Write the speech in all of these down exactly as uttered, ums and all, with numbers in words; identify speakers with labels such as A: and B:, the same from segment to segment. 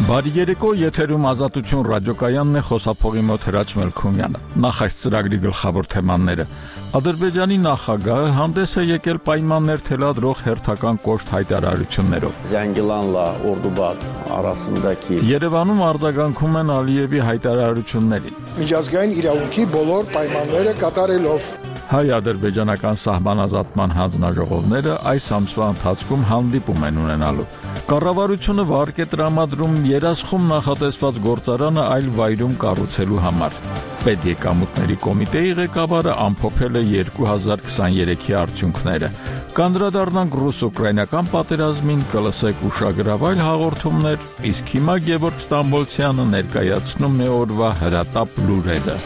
A: Բարի երեկո, եթերում Ազատություն ռադիոկայանն է, խոսափողի մոտ Հրաչ Մելքումյանը։ Նախ այս ծրագրի գլխավոր թեմաները։ Ադրբեջանի նախագահը հանդես է եկել պայմաններ թելադրող հերթական կոշտ հայտարարություններով։
B: Զանգիլանլա Օրդուբադ arasındaki
A: Երևանում արձագանքում են Ալիևի հայտարարություններին։
C: Միջազգային իրավունքի բոլոր պայմանները կատարելով
A: Հայ-ադրբեջանական սահմանազատման հանձնաժողովները այս ամսվա ընթացքում հանդիպում են ունենալու։ Կառավարությունը վարկ է տրամադրում երասխում նախատեսված գործարանը այլ վայրում կառուցելու համար։ Պետեկամուտների կոմիտեի ղեկավարը ամփոփել է երկու հազար քսաներեքի արդյունքները։ Կանդրադառնանք ռուս-ուկրաինական պատերազմին, կլսեք ուշագրավայր հաղորդումներ, իսկ հիմա Գևորգ Ստամբոլցյանը ներկայացնում է օրվա հրատապ լուրերը։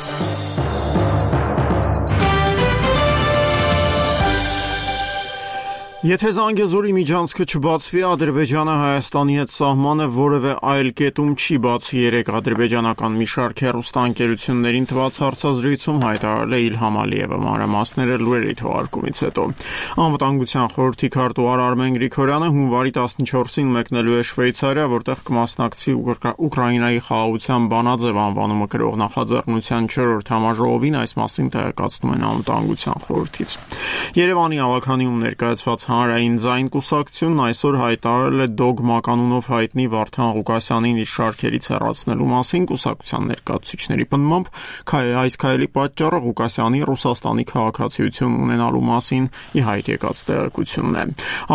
D: Եթե Զանգեզուրի միջանցքը չբացվի, Ադրբեջանը Հայաստանի հետ սահմանը որևէ այլ կետում չի բացի, երեք ադրբեջանական մի շարք հեռուստաընկերություններին տված հարցազրույցում հայտարարել է Իլհամ Ալիևը, մանրամասները լուրերի թողարկումից հետո։ Անվտանգության խորհրդի քարտուղար Արմեն Գրիգորյանը հունվարի տասնչորսին մեկնելու է Շվեյցարիա, որտեղ կմասնակցի Ուկրաինայի խաղաղության բանաձև անվանումը կրող նախաձեռնության չորրորդ համաժողովին, այս մասին տեղեկացնում են անվտանգության խորհրդից։ Երևանի ավականիում ներկայացված Հանրային ձայն կուսակցությունն այսօր հայտարարել է դոգմա կանունով հայտնի Վարդան Ղուկասյանին իր շարքերից հեռացնելու մասին։ Կուսակցության ներկայացուցիչների պնդմամբ այս քայլի պատճառը Ղուկասյանի Ռուսաստանի քաղաքացիություն ունենալու մասին ի հայտ եկած տեղեկությունն է։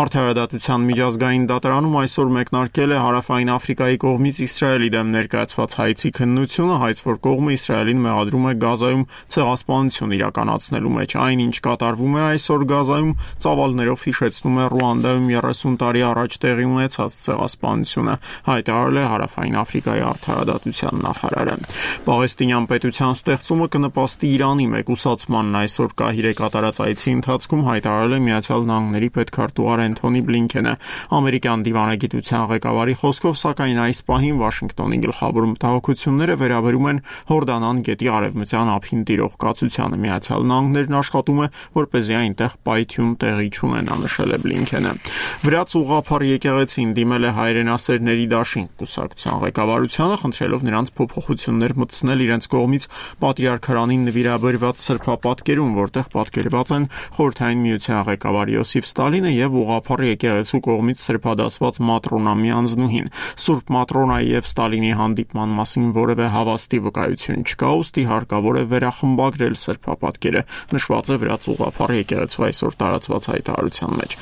D: Արդարադատության միջազգային դատարանում այսօր մեկնարկել է Հարավային Աֆրիկայի կողմից Իսրայելի դեմ ներկայացված հայցի քննությունը, հայց որ կողմը Իսրայելին մեղադրում է Գազայում ցեղասպանություն իրականացնելու մեջ։ Այն, ինչ կատարվում է այսօր Գազայում, ծավալներով հիշեցնում է Ռուանդայում երեսուն տարի առաջ տեղի ունեցած ցեղասպանությունը, հայտարարել է Հարավային Աֆրիկայի արդարադատության նախարարը։ Պաղեստինյան պետության ստեղծումը կնպաստի Իրանի մեկուսացմանն այսօր Կահիրե կատարած այցի ընթացքում հայտարարել է Միացյալ Նահանգների պետքարտուղար Էնթոնի Բլինքենը։ Ամերիկյան դիվանագիտության ղեկավարի խոսքով, սակայն այս պահին Վաշինգտոնի գլխավոր մտահոգությունները վերաբերում են Հորդանան գետի արևմտյան ափին տիրող կացությանը։ Միացյալ Նահանգներն աշխատում է, որպեսզի այնտեղ պայթյուն տեղի չունենա, նշել է Բլինքենը։ Վրաց ուղղափառ եկեղեցին դիմել է հայրենասերների դաշին կուսակցության ղեկավարությանը, խնդրելով նրանց փոփոխություններ մտցնել իրենց կողմից պատրիարքարանին նվիրաբերված սրբապատկերում, որտեղ պատկերված են Խորհրդային Միության ղեկավար Յոսիֆ Ստալինը եւ ուղղափառ եկեղեցու կողմից սրբադասված Մատրոնամի անձնուհին։ Սուրբ Մատրոնայի եւ Ստալինի հանդիպման մասին որևէ հավաստի վկայություն չկա, ուստի հարկավոր է վերախմբագրել սրբապատկերը, նշված է Վրաց ուղղափառ եկեղեցու այսօր տարածված հայտարարության մեջ։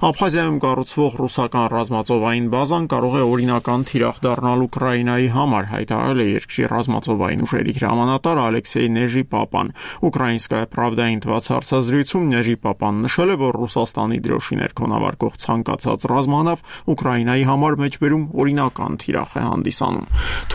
D: Աբխազիայում կառուցվող ռուսական ռազմածովային բազան կարող է օրինական թիրախ դառնալ Ուկրաինայի համար, հայտարարել է երկրի ռազմածովային ուժերի հրամանատար Ալեքսեյ Նեժի Պապան։ Ուկրաինսկայա Պրավդային տված հարցազրույցում Նեժի Պապան նշել է, որ Ռուսաստանի դրոշի ներքո նավարկող ցանկացած ռազմանավ Ուկրաինայի համար մեջբերում օրինական թիրախ է հանդիսանում։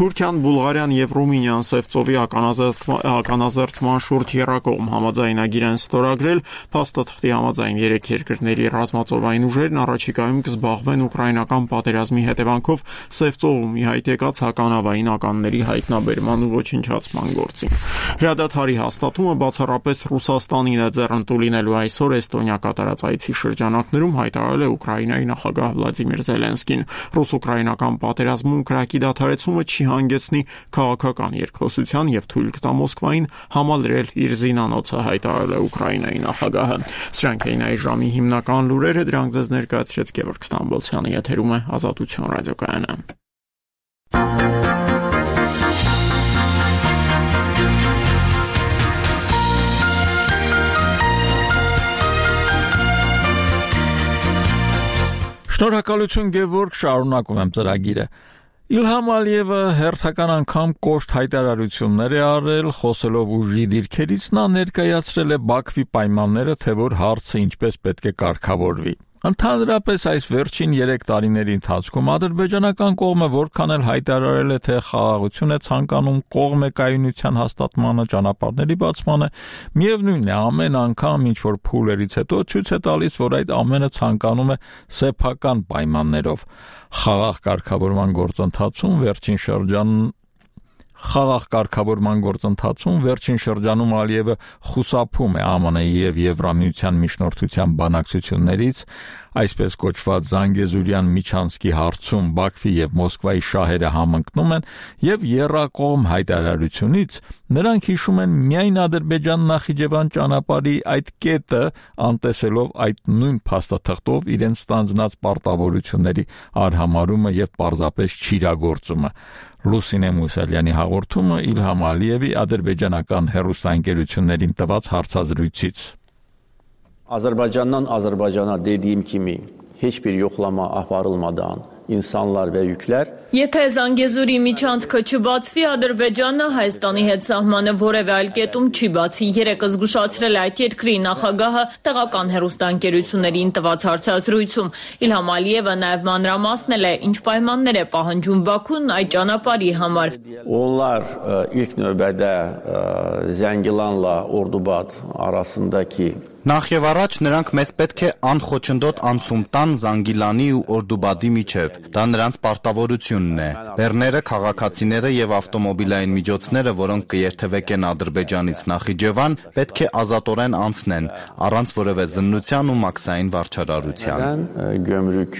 D: Թուրքիան, Բուլղարիան եւ Ռումինիան Սևծովի ականազերծման շուրջ եռակողմ համաձայնագիր են ստորագրել, փաստաթղթի համաձայն երեք երկրների ռազմածովային ուժերն առաջիկայում կզբաղվեն ուկրաինական պատերազմի հետևանքով Սևծովում ի հայտ եկած հականավային ականների հայտնաբերման ու ոչնչացման գործին։ Հրադադարի հաստատումը բացառապես Ռուսաստանին է ձեռնտու լինելու այսօր Էստոնիա կատարած այցի շրջանակներում, հայտարարել է Ուկրաինայի նախագահ Վլադիմիր Զելենսկին։ Ռուս-ուկրաինական պատերազմում կրակի դադարեցումը չի հանգեցնի քաղաքական երկխոսության եւ թույլ կտա Մոսկվային համալրել իր զինանոցը, հայտարարել է Ուկրաինայի նախագահը։ Սրանք էին այս ժամի հիմնական լուրերը, դրանք ձեզ ներկայացրեց Գևորգ Ստամբոլցյանը, եթերում է Ազատություն ռադիոկայանը։
A: Շնորհակալություն Գևորգ, շարունակում եմ ծրագիրը։ Իլհամ Ալիևը հերթական անգամ կոշտ հայտարարություններ է արել, խոսելով ուժի դիրքերից նա ներկայացրել է Բաքվի պայմանները, թե որ հարցը ինչպես պետք է կարգավորվի։ Ընդհանրապես այս վերջին երեք տարիների ընթացքում ադրբեջանական կողմը որքան էլ հայտարարել է, թե խաղաղություն է ցանկանում, կողմ է կայունության հաստատմանը, ճանապարհների բացմանը, միևնույնն է, ամեն անգամ ինչ որ փուլերից հետո ցույց է տալիս, որ այդ ամենը ցանկանում է սեփական պայմաններով։ Խաղաղ կարգավորման գործընթացում վերջին շրջանում Խաղաղ կարգավորման գործընթացում վերջին շրջանում Ալիևը խուսափում է ԱՄՆ-ի եւ Եվրամիության միջնորդության բանակցություններից, Այսպես կոչված Զանգեզուրյան միջանցքի հարցում Բաքվի եւ Մոսկվայի շահերը համընկնում են եւ եռակողմ հայտարարությունից նրանք հիշում են միայն Ադրբեջան-Նախիջևան ճանապարհի այդ կետը, անտեսելով այդ նույն փաստաթղթով իրենց ստանձնած պարտավորությունների արհամարումը եւ պարզապես չիրագործումը։ Լուսինե Մուսալյանի հաղորդումը Իլհամ Ալիևի ադրբեջանական հեռուստաընկերություններին տված հարցազրույցից։
B: Azərbaycandan Azərbaycana dediyim kimi heç bir yoxlama aparılmadan insanlar və yüklər
E: Եթե Զանգեզուրի միջանցքը չբացվի, Ադրբեջանը Հայաստանի հետ սահմանը որևէ այլ կետում չի բացի։ Երեկ զգուշացրել է այդ երկրի նախագահը տեղական հեռուստաընկերություններին տված հարցազրույցում։ Իլհամ Ալիևը նաև մանրամասնել է, ինչ պայմաններ է պահանջում Բաքուն այդ ճանապարհի համար։
B: Onlar ilk növbədə Zəngilanla Ordubad arasındakı
F: Նախ եւ առաջ նրանք մեզ պետք է անխոչնդոտ անցում տան Զանգիլանի ու Օրդուբադի միջև։ Դա նրանց պարտավորությունն է։ Բեռները, քաղաքացիները եւ ավտոմոբիլային միջոցները, որոնք կերթևեկեն Ադրբեջանից Նախիջևան, պետք է ազատորեն անցնեն, առանց որևէ զննության ու մաքսային վարչարարության։
B: Gömrük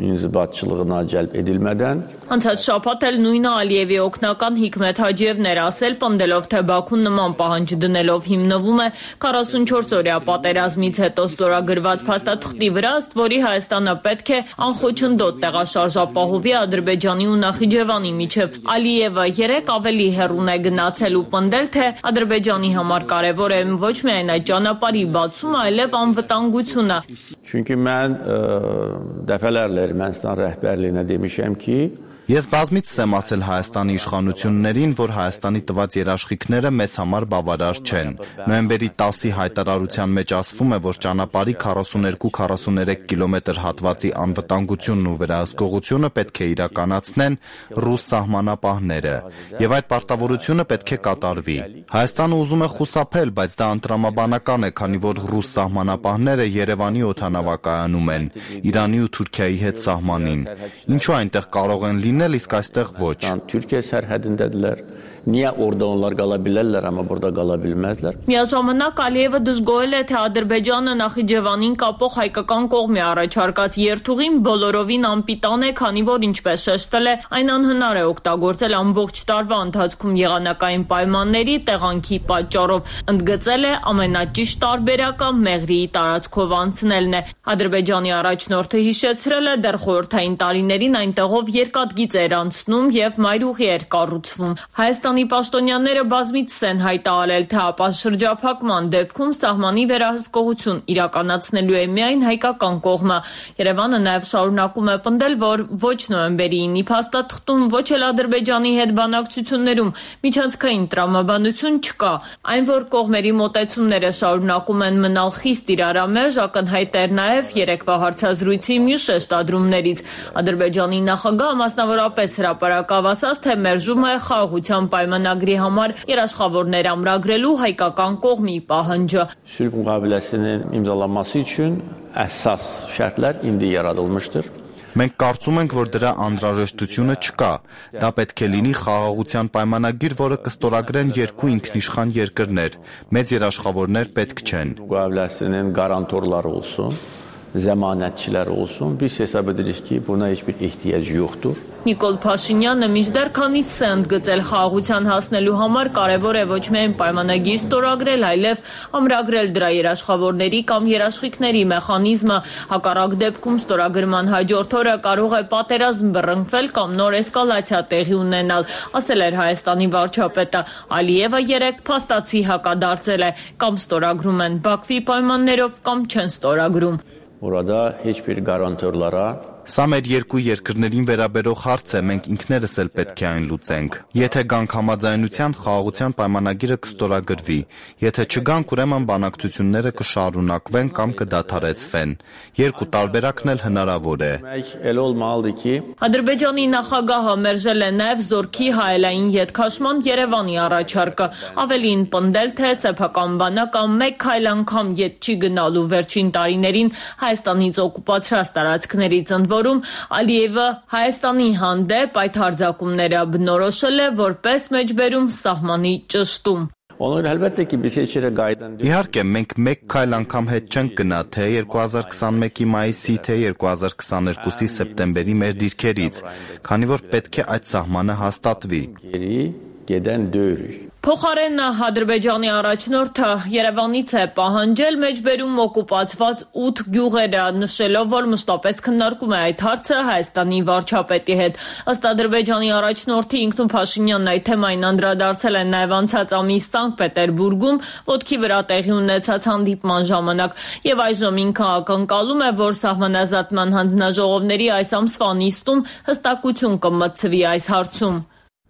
B: inzibatçılığına cəlb edilmədən
E: Անցած շաբաթ էլ նույնը Ալիևի օգնական Հիկմետ Հաջիևն էր ասել, պնդելով, թե Բաքուն նման պահանջ դնելով հիմնվում է քառասունչորս օրյա պատերազմից հետո ստորագրված փաստաթղթի վրա, ըստ որի Հայաստանը պետք է անխոչնդոտ տեղաշարժապահովի Ադրբեջանի ու Նախիջևանի միջև։ Ալիևը երեք ավելի հեռուն է գնացել ու պնդել, թե Ադրբեջանի համար կարևոր է ոչ միայն այդ ճանապարհի բացումը, այլև անվտանգությունը։
B: Çünki mən dəfələrlə Ermənistan rəhbərliyinə demişəm ki,
F: Ես բազմից եմ ասել Հայաստանի իշխանություններին, որ Հայաստանի տված երաշխիքները մեզ համար բավարար չեն։ Նոյեմբերի տասի հայտարարության մեջ ասվում է, որ ճանապարհի քառասուներկու քառասուներեք կիլոմետր հատվածի անվտանգությունն ու վերահսկողությունը պետք է իրականացնեն ռուս սահմանապահները, եւ այդ պարտավորությունը պետք է կատարվի։ Հայաստանը ուզում է խուսափել, բայց դա անտրամաբանական է, քանի որ ռուս սահմանապահները Երևանի օդանավակայանում են, Իրանի ու Թուրքիայի հետ սահմանին։ Ինչու այնտեղ կարող են լինել, իսկ այստեղ ոչ։
B: Türkiye sərhədindədirlər. Niyə orada onlar qala bilərlər, amma burada qala bilməzlər։
E: Միաժամանակ Ալիևը դժգոհել է, թե Ադրբեջանը Նախիջևանին կապող հայկական կողմի առաջարկած երթուղին բոլորովին անպիտան է, քանի որ ինչպես շեշտել է, այն անհնար է օգտագործել ամբողջ տարվա ընթացքում եղանակային պայմանների տեղանքի պատճառով։ Ընդգծել է ամենաճիշտ տարբերակը Մեղրիի տարածքով անցնելն է։ Ադրբեջանի առաջնորդը հիշեցրել է, դեռ խորհրդային տարիներին այնտեղով երկաթգիծ էր անցնում եւ մայրուղի էր կառուցվում։ Հայաստանի պաշտոնյաները բազմիցս են հայտարարել, թե ապա շրջափակման դեպքում սահմանի վերահսկողություն իրականացնելու է միայն հայկական կողմը։ Երևանը նաև շարունակում է պնդել, որ ոչ նոյեմբերի ինի փաստաթղթում, ոչ էլ Ադրբեջանի հետ բանակցություններում միջանցքային տրամաբանություն չկա։ Այն, որ կողմերի մոտեցումները շարունակում են մնալ խիստ իրարամերժ, ակնհայտ էր նաև երեկվա հարցազրույցի մյուս շեշտադրումներից։ Ադրբեջանի նախագահը մասնավորապես հրապարակավ ասաց, թե մերժում է խաղաղության պայմանագրի համար երաշխավորներ ամրագրելու հայկական կողմի պահանջը։
B: Sülh müqaviləsinin imzalanması üçün əsas şərtlər indi yaradılmışdır.
F: Մենք կարծում ենք, որ դրա անհրաժեշտությունը չկա։ Դա պետք է լինի խաղաղության պայմանագիր, որը կստորագրեն երկու ինքնիշխան երկրներ։ Մեծ երաշխավորներ պետք չեն։
B: Müqaviləsinin qarantorları olsun, zəmanətçilər olsun. Biz hesab edirik ki, buna heç bir ehtiyac yoxdur.
E: Նիկոլ Փաշինյանը մինչդեռ քանից է ընդգծել խաղաղության հասնելու համար կարևոր է ոչ միայն պայմանագիր ստորագրել, այլև ամրագրել դրա երաշխավորների կամ երաշխիքների մեխանիզմը։ Հակառակ դեպքում ստորագրման հաջորդ օրը կարող է պատերազմ բռնկվել կամ նոր էսկալացիա տեղի ունենալ, ասել էր Հայաստանի վարչապետը։ Ալիևը երեք փաստացի հակադարձել է, կամ ստորագրում են Բաքվի պայմաններով, կամ չեն ստորագրում։
B: Orada heç bir qarantorlara
F: Սա մեր երկու երկրներին վերաբերող հարց է, մենք ինքներս էլ պետք է այն լուծենք։ Եթե գանք համաձայնության, խաղաղության պայմանագիրը կստորագրվի։ Եթե չգանք, ուրեմն բանակցությունները կշարունակվեն կամ կդադարեցվեն։ Երկու տարբերակն էլ հնարավոր է։
B: Elə olmalıdır ki,
E: Ադրբեջանի նախագահը մերժել է նաև զորքի հայելային ետքաշման Երևանի առաջարկը։ Ավելին պնդել, թե սեփական բանակը մեկ քայլ անգամ ետ չի գնալու վերջին տարիներին Հայաստանից օկուպացրած տարածքներից ընդ որում Ալիևը Հայաստանի հանդեպ այդ հարձակումները բնորոշել է որպես մեջբերում սահմանի ճշտում։
B: Onlar elbette ki bir seçere gaydan
F: Իհարկե, մենք մեկ քայլ անգամ հետ չենք գնա թե երկու հազար քսանմեկի մայիսի, թե երկու հազար քսաներկուսի սեպտեմբերի մեր դիրքերից, քանի որ պետք է այդ սահմանը հաստատվի։
B: geri giden dövürük.
E: Փոխարեն Ադրբեջանի առաջնորդը Երևանից է պահանջել մեջբերում օկուպացված ութ գյուղերը, նշելով, որ մշտապես քննարկում է այդ հարցը Հայաստանի վարչապետի հետ։ Ըստ Ադրբեջանի առաջնորդի ինքնու Փաշինյանն այդ թեմային անդրադարձել է նաև անցած ամիս Սանկտ Պետերբուրգում ոտքի վրա տեղի ունեցած հանդիպման ժամանակ, եւ այժմ ինքը ակնկալում է, որ սահմանազատման հանձնաժողովների այս ամսվա նիստում հստակություն կմտցվի այս հարցում։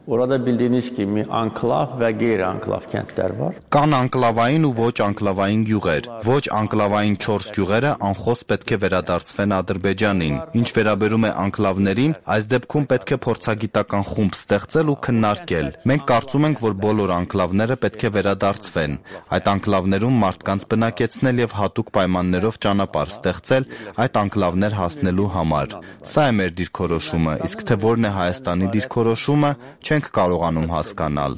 B: Orada bildiğiniz gibi anklav ve geri anklav kentler var.
F: Կան անկլավային ու ոչ անկլավային գյուղեր։ Ոչ անկլավային չորս գյուղերը անխոս պետք է վերադարձվեն Ադրբեջանին։ Ինչ վերաբերում է անկլավներին, այս դեպքում պետք է փորձագիտական խումբ ստեղծել ու քննարկել։ Մենք կարծում ենք, որ բոլոր անկլավները պետք է վերադարձվեն։ Այդ անկլավներում մարդկանց բնակեցնել եւ հատուկ պայմաններով ճանապարհ ստեղծել այդ անկլավներ հասնելու համար։ Սա է մեր դիրքորոշումը, իսկ թե որն է Հայաստանի դիրքորոշումը, չենք կարողանում հասկանալ։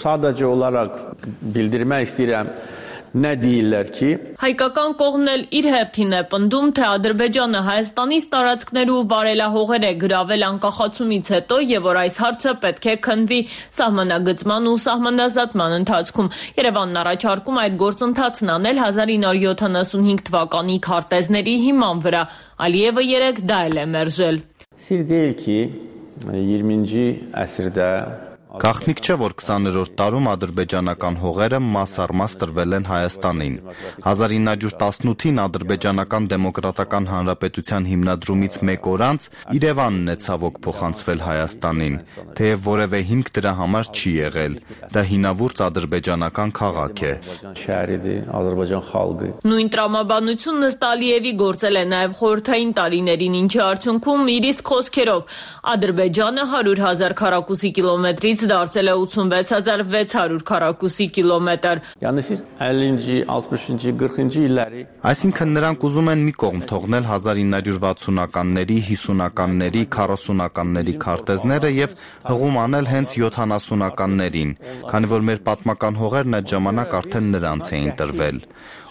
B: Sadece olarak bildirmek istedim. Ne değiller ki?
E: Հայկական կողմն էլ իր հերթին է պնդում, թե Ադրբեջանը Հայաստանից տարածքներու վարելահողեր է գրավել անկախացումից հետո եւ որ այս հարցը պետք է քննվի սահմանագծման ու սահմանազատման ընթացքում։ Երևանն առաջարկում այդ գործընթացն անել հազար ինը հարյուր յոթանասունհինգ թվականի քարտեզների հիման վրա։ Ալիևը երեք դա էլ է մերժել։
B: Sir değil ki յիրմինci əsrdə
F: Գաղտնիք չէ, որ քսաներորդ տարում ադրբեջանական հողերը մաս առ մաս տրվել են Հայաստանին։ հազար ինը հարյուր տասնութին Ադրբեջանական դեմոկրատական հանրապետության հիմնադրումից մեկ օր անց Երևանն է ցավոք փոխանցվել Հայաստանին, թեև որևէ հիմք դրա համար չի եղել։ Դա հինավուրց ադրբեջանական քաղաք է։
B: Şəhəridir, Azərbaycan xalqı։
E: Նույն տրամաբանությունն ըստ Ալիևի գործել է նաև խորհրդային տարիներին, ինչի արդյունքում իր իսկ խոսքերով Ադրբեջանը հարյուր հազար քառակուսի կիլոմետրից դարձել է ութսունվեց հազար վեց հարյուր քառակուսի կիլոմետր։
B: Yəni siz əllinci, ալթմիշինci, qırxıncı illəri
F: Այսինքն նրանք ուզում են մի կողմ թողնել հազար ինը հարյուր վաթսունականների, հիսունականների, քառասունականների քարտեզները եւ հղում անել հենց յոթանասունականներին, քանի որ մեր պատմական հողերն այդ ժամանակ արդեն նրանց էին տրվել։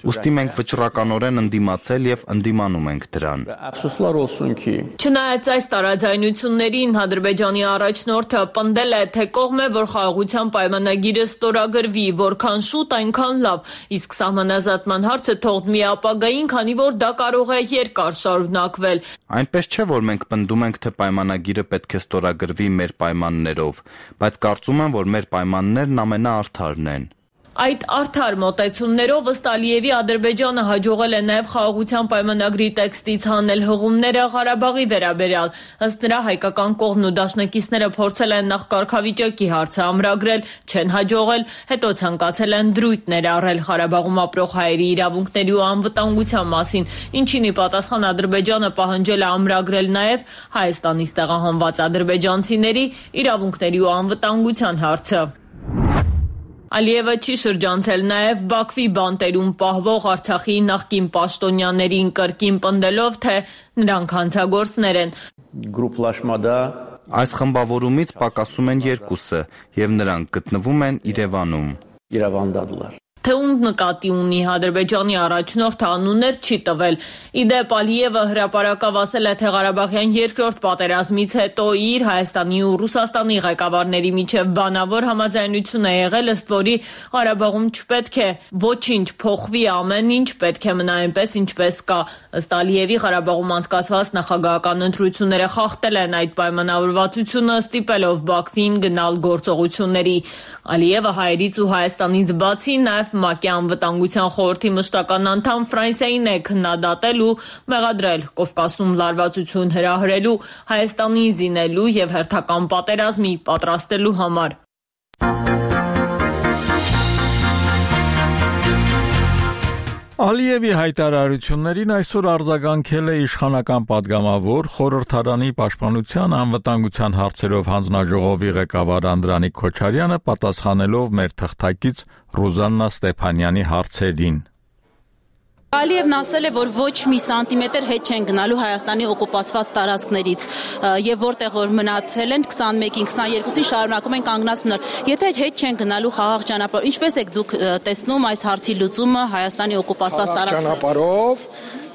F: Ուստի մենք վճռականորեն ընդդիմացել եւ ընդդիմանում ենք դրան։
B: Əfsuslar olsun ki
E: Չնայած այս տարաձայնություններին Ադրբեջանի առաջնորդը պնդել է, թե կողմ է, որ խաղաղության պայմանագիրը ստորագրվի, որքան շուտ, այնքան լավ, իսկ սահմանազատման հարցը թողնվի ապագային, քանի որ դա կարող է երկար շարունակվել։
F: Այնպես չէ, որ մենք պնդում ենք, թե պայմանագիրը պետք է ստորագրվի մեր պայմաններով, բայց կարծում եմ, որ մեր պայմաններն ամենաարդարն են։
E: Այդ արդար մոտեցումներով ըստ Ալիևի Ադրբեջանը հաջողել է նաև խաղաղության պայմանագրի տեքստից հանել հղումները Ղարաբաղի վերաբերյալ։ Ըստ նրա հայկական կողմն ու դաշնակիցները փորձել են նախ կարգավիճակի հարցը ամրագրել, չեն հաջողել, հետո ցանկացել են դրույթներ առել Ղարաբաղում ապրող հայերի իրավունքների ու անվտանգության մասին, ինչին ի պատասխան Ադրբեջանը պահանջել է ամրագրել նաև Հայաստանից տեղահանված ադրբեջանցիների իրավունքների ու անվտանգության հարցը։ Ալիևը չի շրջանցել նաև Բաքվի բանտերում պահվող Արցախի նախկին պաշտոնյաներին կրկին պնդելով, թե նրանք հանցագործներ են։
B: Գրուպլաշմada
F: Այս խմբավորումից պակասում են երկուսը եւ նրանք գտնվում են Երևանում։
B: İrəvandadılar։
E: Թե ում նկատի ունի Ադրբեջանի առաջնորդը անուններ չի տվել։ Իդեպ Ալիևը հրապարակավ ասել է, թե Ղարաբաղյան երկրորդ պատերազմից հետո իր Հայաստանի ու Ռուսաստանի ղեկավարների միջև բանավոր համաձայնություն է եղել, ըստ որի Ղարաբաղում չպետք է ոչինչ փոխվի, ամեն ինչ պետք է մնա այնպես, ինչպես կա։ Ըստ Ալիևի Ղարաբաղում անցկացված նախագահական ընտրությունները խախտել են այդ պայմանավորվածությունը, ստիպելով Բաքվին գնալ գործողությունների։ Ալիևը հայերից ու Հայաստանից բացի նաև ՄԱԿ-ի անվտանգության խորհրդի մշտական անդամ Ֆրանսիային է քննադատել ու մեղադրել Կովկասում լարվածություն հրահրելու, Հայաստանին զինելու եւ հերթական պատերազմի պատրաստելու համար։
A: Ալիևի հայտարարություններին այսօր արձագանքել է իշխանական պատգամավոր խորհրդարանի պաշտպանության անվտանգության հարցերով հանձնաժողովի ղեկավար Անդրանիկ Քոչարյանը, պատասխանելով մեր թղթակից Ռուզաննա Ստեփանյանի հարցերին։
G: Ալիևն ասել է, որ ոչ մի սանտիմետր հետ չեն գնալու Հայաստանի օկուպացված տարածքներից եւ որտեղ որ մնացել են քսանմեկին, քսաներկուսին շարունակում են կանգնած մնալ։ Եթե հետ չեն գնալու խաղաղ ճանապարհով, ինչպես եք դուք տեսնում այս հարցի լուծումը Հայաստանի օկուպացված տարածքներում։
C: Ճանապարհով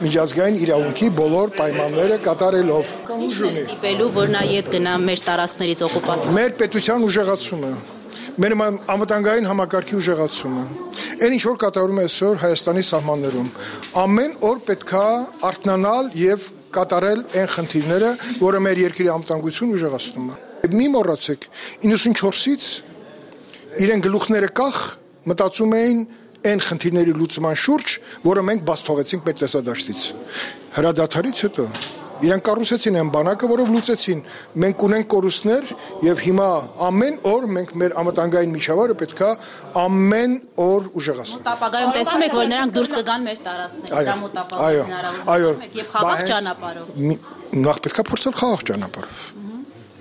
C: միջազգային իրավունքի բոլոր պայմանները կատարելով։
G: Ինչն է ստիպելու, որ նա իդ գնա մեր տարածքներից օկուպացիա։
C: Մեր պետության ուժեղացումը, մեր անվտանգային համակարգի ուժեղացումը։ Այն ինչ որ կատարում է այսօր Հայաստանի սահմաններում, ամեն օր պետքա արթնանալ եւ կատարել այն խնդիրները, որը մեր երկրի անվտանգությունն ուժեղացնում է։ Մի մոռացեք, իննսունչորսից իրեն գլուխները կախ մտածում էին այն խնդիրների լուծման շուրջ, որը մենք բաց թողեցինք մեր տեսադաշտից։ Հրադադարից հետո իրենք կառուցեցին այն բանակը, որով լուծեցին։ Մենք ունենք կորուստներ եւ հիմա ամեն օր մենք մեր անվտանգային միջավայրը պետքա ամեն օր ուժեղացնենք։
G: Մոտապագայում տեսնում եք, որ նրանք դուրս կգան մեր տարածքներից, դա մոտապագայում հնարավոր է եւ խաղաղ ճանապարհով։
C: Նախ պետքա փորձել խաղաղ ճանապարհով։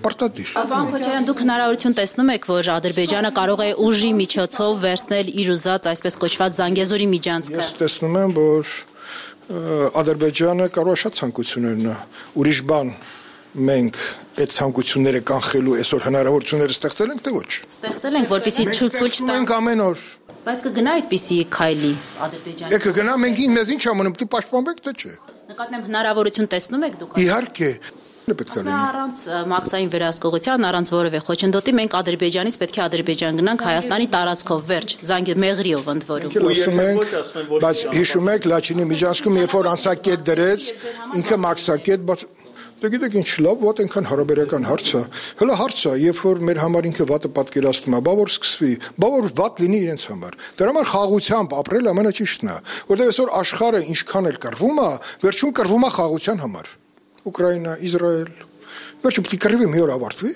C: Պարտադիր։
G: Պարոն Քոչարյան, դուք հնարավորություն տեսնում եք, որ Ադրբեջանը կարող է ուժի միջոցով վերցնել իր ուզած այսպես կոչված Զանգեզուրի միջանցքը։
C: Ես տեսնում եմ, որ Ադրբեջանը կարող է շատ ցանկություններ ունենա։ Ուրիշ բան մենք այդ ցանկությունները կանխելու այսօր հնարավորությունները ստեղծել ենք, թե ոչ։
G: Ստեղծել ենք, որպեսզի չփուչ
C: տանք ամեն օր։
G: Բայց կգնա այդպիսի քայլի Ադրբեջանը։
C: Եկը գնա, մենք մեզ ինչ ամենում, դու պաշտպանվեք, թե չէ։
G: Նկատեմ հնարավորություն տեսնում եք դուք։
C: Իհարկե։
G: Առանց մաքսային վերահսկողության, առանց որևէ խոչընդոտի մենք Ադրբեջանից պետք է Ադրբեջան գնանք Հայաստանի տարածքով վերջ, Զանգեզուրով ընդ որում։
C: Բայց հիշում եք Լաչինի միջանցքում, երբ որ անցակետ դրեց, ինքը մաքսակետ, բայց դե գիտեք ինչ լավ, ո՞տ այնքան հարաբերական հարց է։ Հələ հարց է, երբ որ մեր համար ինքը վատը պատկերացնում է, բա որ սկսվի, բա որ վատ լինի իրենց համար։ Դրա համար խաղաղությամբ ապրել ամենաճիշտն է, որտեղ այսօր աշխարհը ինչքան էլ կռվում է, վերջում կռվում է խաղաղության համար։ Ուկրաինա, Իսրայել, վերջում պիտի կռիվը մի օր ավարտվի,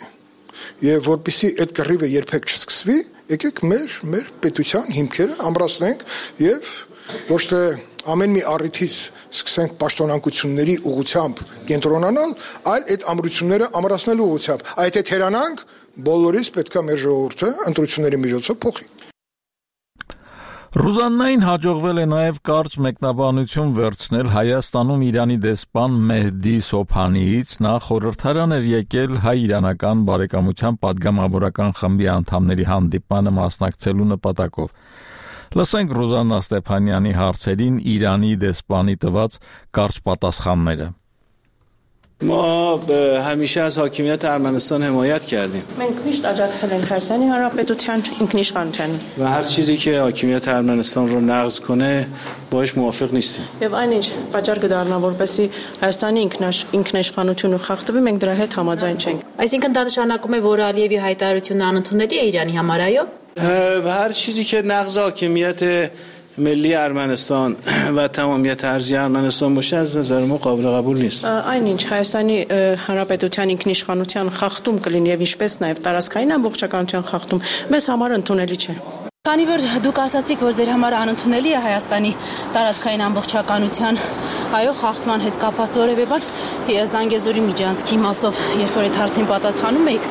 C: եւ որպեսզի այդ կռիվը երբեք չսկսվի, եկեք մեր մեր պետության հիմքերը ամրացնենք եւ ոչ թե ամեն մի առիթից սկսենք պաշտոնանկությունների ուղղությամբ կենտրոնանալ, այլ այդ ամրությունները ամրացնելու ուղղությամբ։ Այդ եթե թերանանք, բոլորիս պետքա մեր ժողովուրդը ընտրությունների միջոցով փոխի։
A: Ռուզաննային հաջողվել է նաև կարճ մեկնաբանություն վերցնել Հայաստանում Իրանի դեսպան Մեհդի Սոփանիից, նա խորհրդարան էր եկել հայ-իրանական բարեկամության պատգամավորական խմբի անդամների հանդիպմանը մասնակցելու նպատակով։ Լսենք Ռուզաննա Ստեփանյանի հարցերին Իրանի դեսպանի տված կարճ պատասխանները։
H: ما همیشه از حاکمیت ارمنستان حمایت کردیم.
I: մենք միշտ աջակցել ենք Հայաստանի Հանրապետության ինքնիշխանությանին.
H: و هر چیزی که حاکمیت ارمنستان رو نقض کنه باهاش موافق نیستیم.
I: Եվ այնինչ պատճառ կդառնա, որպեսզի Հայաստանի ինքնիշխանությունը խախտվի, մենք դրա հետ համաձայն չենք.
G: Այսինքն դա նշանակում է, որ Ալիևի հայտարարությունը անընդունելի է Իրանի համար, այո։
H: هر چیزی که نقض حاکمیت ملی ارمنستان و تمامیت ارضی ارمنستان باشه از نظر ما قابل قبول نیست.
I: Այնինչ Հայաստանի Հանրապետության ինքնիշխանության խախտում կլինի եւ ինչպես նաեւ տարածքային ամբողջականության խախտում մեզ համար ընդունելի չէ։
G: Քանի որ դուք ասացիք, որ ձեր համար անընդունելի է Հայաստանի տարածքային ամբողջականության այո խախտման հետ կապված որևէ բան, Զանգեզուրի միջանցքի մասով, երբ որ այդ հարցին պատասխանում եք,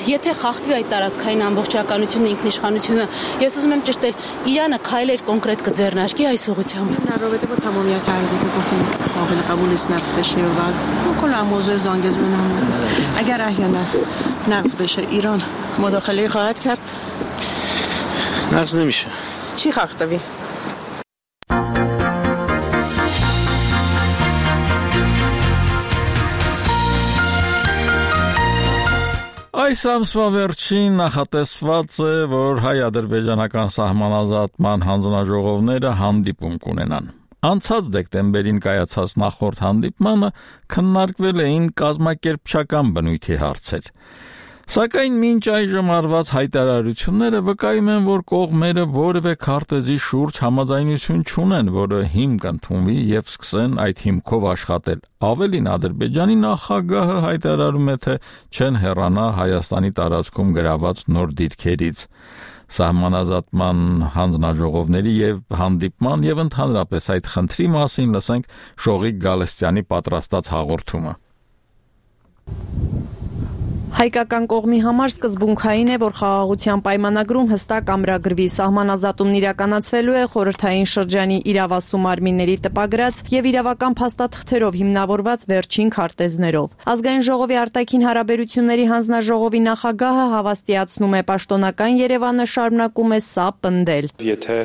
G: եթե խախտվի այդ տարածքային ամբողջականությունը, ինքնիշխանությունը, ես ուզում եմ ճշտել, Իրանը քայլեր կոնկրետ կձեռնարկի այս ուղղությամբ։
I: Наровете по тамамият арзی که گفتیم قابل قبول نیست نقض بشه و کلا موضوع زانگزور هم اگر احیانا نقض بشه ایران مداخله خواهد کرد.
H: نقض نمیشه.
I: چی خاختوی؟
A: Այս ամսվա վերջին նախատեսված է, որ հայ-ադրբեջանական սահմանազատման հանձնաժողովները հանդիպում կունենան։ Անցած դեկտեմբերին կայացած նախորդ հանդիպմանը քննարկվել էին կազմակերպչական բնույթի հարցեր։ Սակայն մինչ այժմ արված հայտարարությունները վկայում են, որ կողմերը որևէ քարտեզի շուրջ համաձայնություն չունեն, որը հիմք ընդունվի եւ սկսեն այդ հիմքով աշխատել։ Ավելին Ադրբեջանի նախագահը հայտարարում է, թե չեն հեռանա Հայաստանի տարածքում գրաված նոր դիրքերից։ Սահմանազատման հանձնաժողովների եւ հանդիպման եւ ընդհանրապես այդ խնդրի մասին լսենք Շողիկ Գալստյանի պատրաստած հաղորդումը։
J: Հայկական կողմի համար սկզբունքային է, որ խաղաղության պայմանագրում հստակ ամրագրվի սահմանազատումն իրականացվելու է խորհրդային շրջանի իրավասու մարմինների տպագրած եւ իրավական փաստաթղթերով հիմնավորված վերջին քարտեզներով։ Ազգային ժողովի արտաքին հարաբերությունների հանձնաժողովի նախագահը հավաստիացնում է պաշտոնական Երևանը շարունակում է սա պնդել։
K: Եթե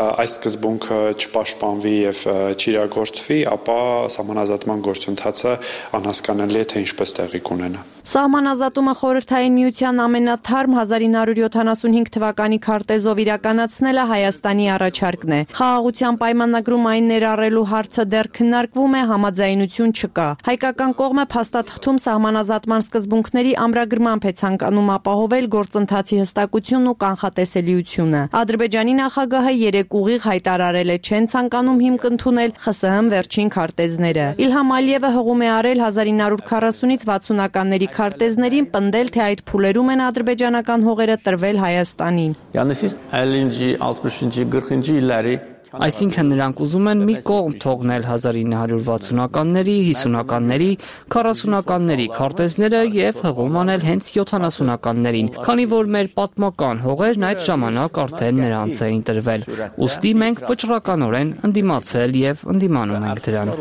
K: այս սկզբունքը չպաշտպանվի եւ չիրագործվի, ապա սահմանազատման գործընթացը անհասկանալի է, թե ինչպես տեղի կունենա։
J: Սահմանազատումը խորհրդային միության ամենաթարմ հազար ինը հարյուր յոթանասունհինգ թվականի քարտեզով իրականացնելը Հայաստանի առաջարկն է։ Խաղաղության պայմանագրում այն ներառելու հարցը դեռ քննարկվում է, համաձայնություն չկա։ Հայկական կողմը փաստաթղթում սահմանազատման սկզբունքների ամրագրմամբ է ցանկանում ապահովել գործընթացի հստակությունն ու կանխատեսելիությունը։ Ադրբեջանի նախագահը երեք ուղիղ հայտարարել է չեն ցանկանում հիմք ընդունել ԽՍՀՄ վերջին քարտեզները։ Իլհամ Ալիևը հղում է արել հազար ինը հարյուր քառասունից վաթսունականների քարտեզներին, պնդել, թե այդ փուլերում են ադրբեջանական հողերը տրվել Հայաստանին։
L: Այսինքն նրանք ուզում են մի կողմ թողնել հազար ինը հարյուր վաթսունականների, հիսունականների, քառասունականների քարտեզները եւ հղում անել հենց յոթանասունականներին, քանի որ մեր պատմական հողերն այդ ժամանակ արդեն նրանց էին տրվել։ Ուստի մենք վճռականորեն ընդդիմացել եւ ընդդիմանում ենք դրան։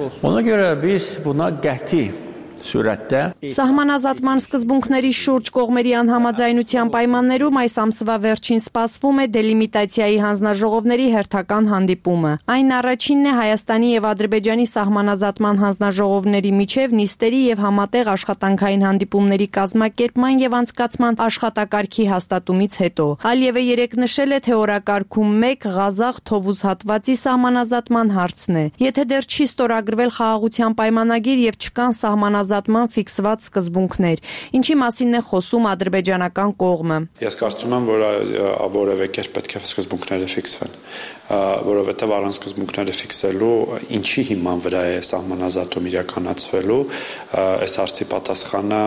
J: Սահմանազատման սկզբունքների շուրջ կողմերի անհամաձայնության պայմաններում այս ամսվա վերջին սպասվում է դելիմիտացիայի հանձնաժողովների հերթական հանդիպումը։ Այն առաջինն է Հայաստանի եւ Ադրբեջանի սահմանազատման հանձնաժողովների միջև նիստերի եւ համատեղ աշխատանքային հանդիպումների կազմակերպման եւ անցկացման աշխատակարգի հաստատումից հետո։ Ալիևը երեկ նշել է, թե օրակարգում մեկ Ղազախ Թովուզ հատվածի սահմանազատման հարցն է։ Եթե դեռ չի ստորագրվել խաղաղության պայմանագիր եւ չկան սահմանազատման ֆիքսված սկզբունքներ, ինչի մասին է խոսում ադրբեջանական կողմը։
K: Ես կարծում եմ, որ որևէ կերպ պետք է սկզբունքները ֆիքսվեն, որովհետև առանց սկզբունքները ֆիքսելու ինչի հիման վրա է սահմանազատում իրականացվելու, այս հարցի պատասխանը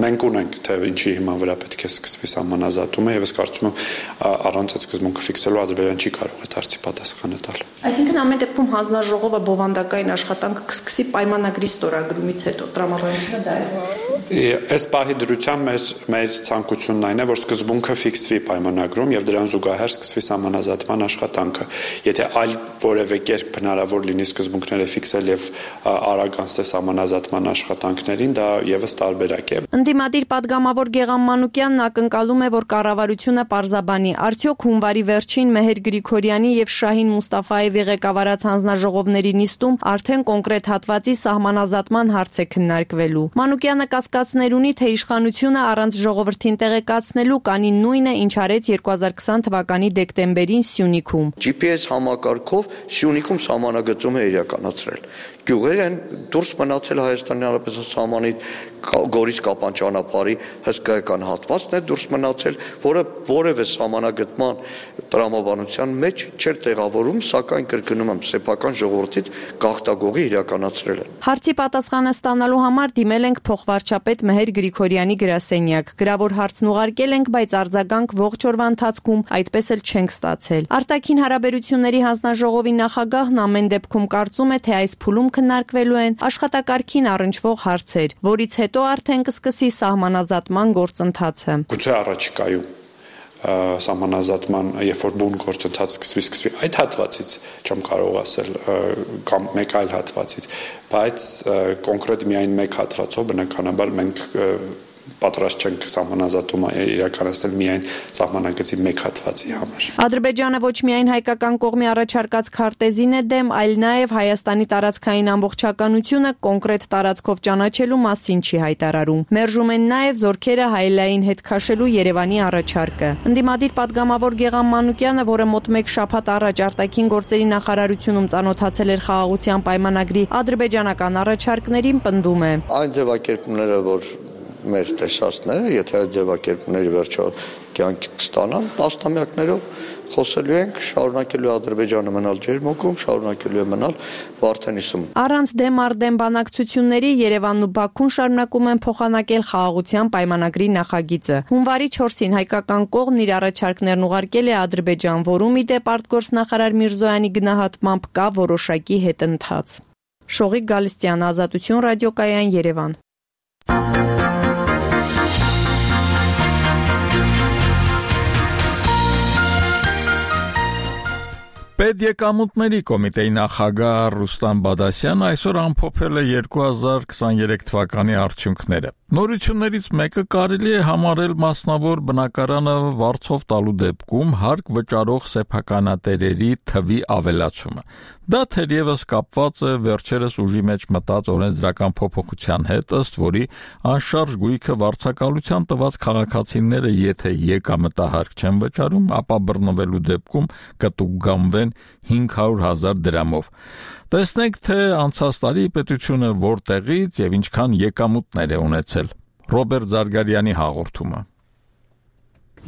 K: մենք ունենք, թե ինչի հիման վրա պետք է սկսվի սահմանազատումը, եւ ես կարծում եմ առանց այդ սկզբունքը ֆիքսելու Ադրբեջանը չի կարող այդ հարցի պատասխանը տալ։
J: Այսինքն ամեն դեպքում հանձնաժողովը բովանդակային աշխատանքը կսկսի պայմանագրի ստորագրումից հետո տրամաբանությունը դա է։
K: Այս պահի դրությամբ մեր մեր ցանկությունն այն է, որ սկզբունքը ֆիքսվի պայմանագրում եւ դրան զուգահեռ սկսվի սահմանազատման աշխատանքը։ Եթե այլ որևէ կերպ հնարավոր լինի սկզբունքները ֆիքսել եւ արագ անցնել սահմանազատման աշխատանքներին, դա եւս տարբերակ է։
J: Ընդդիմադիր падգամավոր Գեգամ Մանուկյանն ակնկալում է, որ կառավարությունը պարզաբանի, արդյոք հունվարի վերջին Մեհեր Գրիգորյանի եւ Շահին Մուստաֆաևի ղեկավարած հանձնաժողովների նիստում արդեն կոնկրետ հատվածի սահմանազատման հարց է քննարկվելու։ Մանուկյանը կասկածներ ունի, թե իշխանությունը առանց ժողովրդին տեղեկացնելու կանի նույնը, ինչ արեց երկու հազար քսան թվականի դեկտեմբերին Սյունիքում։
M: Ջի Պի Էս համակարգով Սյունիքում սահմանագծում է իրականացրել։ Գյուղեր են դուրս մնացել Հայաստանի Հանրապետության սահմանից, Գորիս Կապան ճանապարհի հսկայական հատվածն է դուրս մնացել, որը որևէ սահմանագծման տրամաբանության մեջ չէր տեղավորում, սակայն կրկնում եմ, սեփական ժողովրդից գաղթագողի իրականացրել են։
J: Հարցի պատասխանը ստանալու համար դիմել ենք փոխվարչապետ Մեհեր Գրիգորյանի գրասենյակ։ Գրավոր հարցն ուղարկել ենք, բայց արձագանք ողջ օրվա ընթացքում այդպես էլ չենք ստացել։ Արտաքին հարաբերությունների հանձնաժողովի նախագահն ամեն դեպքում կարծում է, թե այս փուլում քննարկվելու են աշխատակարգին առնչվող հարցեր, որից հետո արդեն կսկսի սահմանազատման գործընթացը։
K: Գուցե առաջիկայում սահմանազատման, երբ որ բուն գործընթաց սկսվի, սկսվի այդ հատվածից չեմ կարող ասել կամ մեկ այլ հատվածից, բայց կոնկրետ միայն մեկ հատվածով բնականաբար մենք պատրաստ չենք սահմանազատումը իրականացնել միայն սահմանագծի մեկ հատվածի համար։
J: Ադրբեջանը ոչ միայն հայկական կողմի առաջարկած քարտեզին է դեմ, այլ նաև Հայաստանի տարածքային ամբողջականությունը կոնկրետ տարածքով ճանաչելու մասին չի հայտարարում։ Մերժում են նաև զորքերը հայելային հետ քաշելու Երևանի առաջարկը։ Ընդդիմադիր падգամավոր Գեգամ Մանուկյանը, որը մոտ մեկ շաբաթ առաջ արտաքին գործերի նախարարությունում ծանոթացել էր խաղաղության պայմանագրի ադրբեջանական առաջարկներին, պնդում է.
M: Այն ձևակերպումները, որ մեր տեսածն է, եթե այդ ձևակերպումների վերջո կյանք կստանան, տասնամյակներով խոսելու ենք, շարունակելու Ադրբեջանը մնալ ջերմուկում, շարունակելու է մնալ Վարդենիսում։
J: Առանց դեմ առ դեմ բանակցությունների Երևանն ու Բաքուն շարունակում են փոխանակել խաղաղության պայմանագրի նախագիծը։ Հունվարի չորսին հայկական կողմն իր առաջարկներն ուղարկել է Ադրբեջան, որում ի դեպ արտգործնախարար Միրզոյանի գնահատմամբ կա որոշակի հետընթաց։ Շողիկ Գալստյան, Ազատություն ռադիոկայան, Երևան։
A: Պետեկամուտների կոմիտեի նախագահ Ռուստամ Բադասյանը այսօր ամփոփել է երկու հազար քսաներեք թվականի արդյունքները։ Նորություններից մեկը կարելի է համարել մասնավոր բնակարանը վարձով տալու դեպքում հարկ վճարող սեփականատերերի թվի ավելացումը։ Դա թերևս կապված է վերջերս ուժի մեջ մտած օրենսդրական փոփոխության հետ, ըստ որի անշարժ գույքը վարձակալության տված քաղաքացիները եթե եկամտահարկ չեն վճարում, ապա բռնվելու դեպքում կտուգանվեն հինգ հարյուր հազար դրամով։ Տեսնենք, թե անցած տարի պետությունը որտեղից եւ ինչքան եկամուտներ է ունեցել։ Ռոբերտ Զարգարյանի հաղորդումը։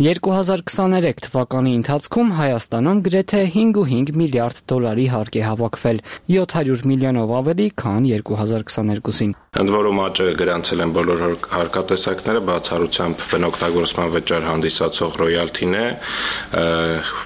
L: երկու հազար քսաներեք թվականի ընթացքում Հայաստանում գրեթե հինգ ու հինգ միլիարդ դոլարի հարկ է հավաքվել, յոթ հարյուր միլիոնով ավելի, քան երկու հազար քսաներկուսին։
N: Ընդ որում աճը գրանցել են բոլոր հարկատեսակները, բացառությամբ բնօգտագործման վճար հանդիսացող ռոյալթին է,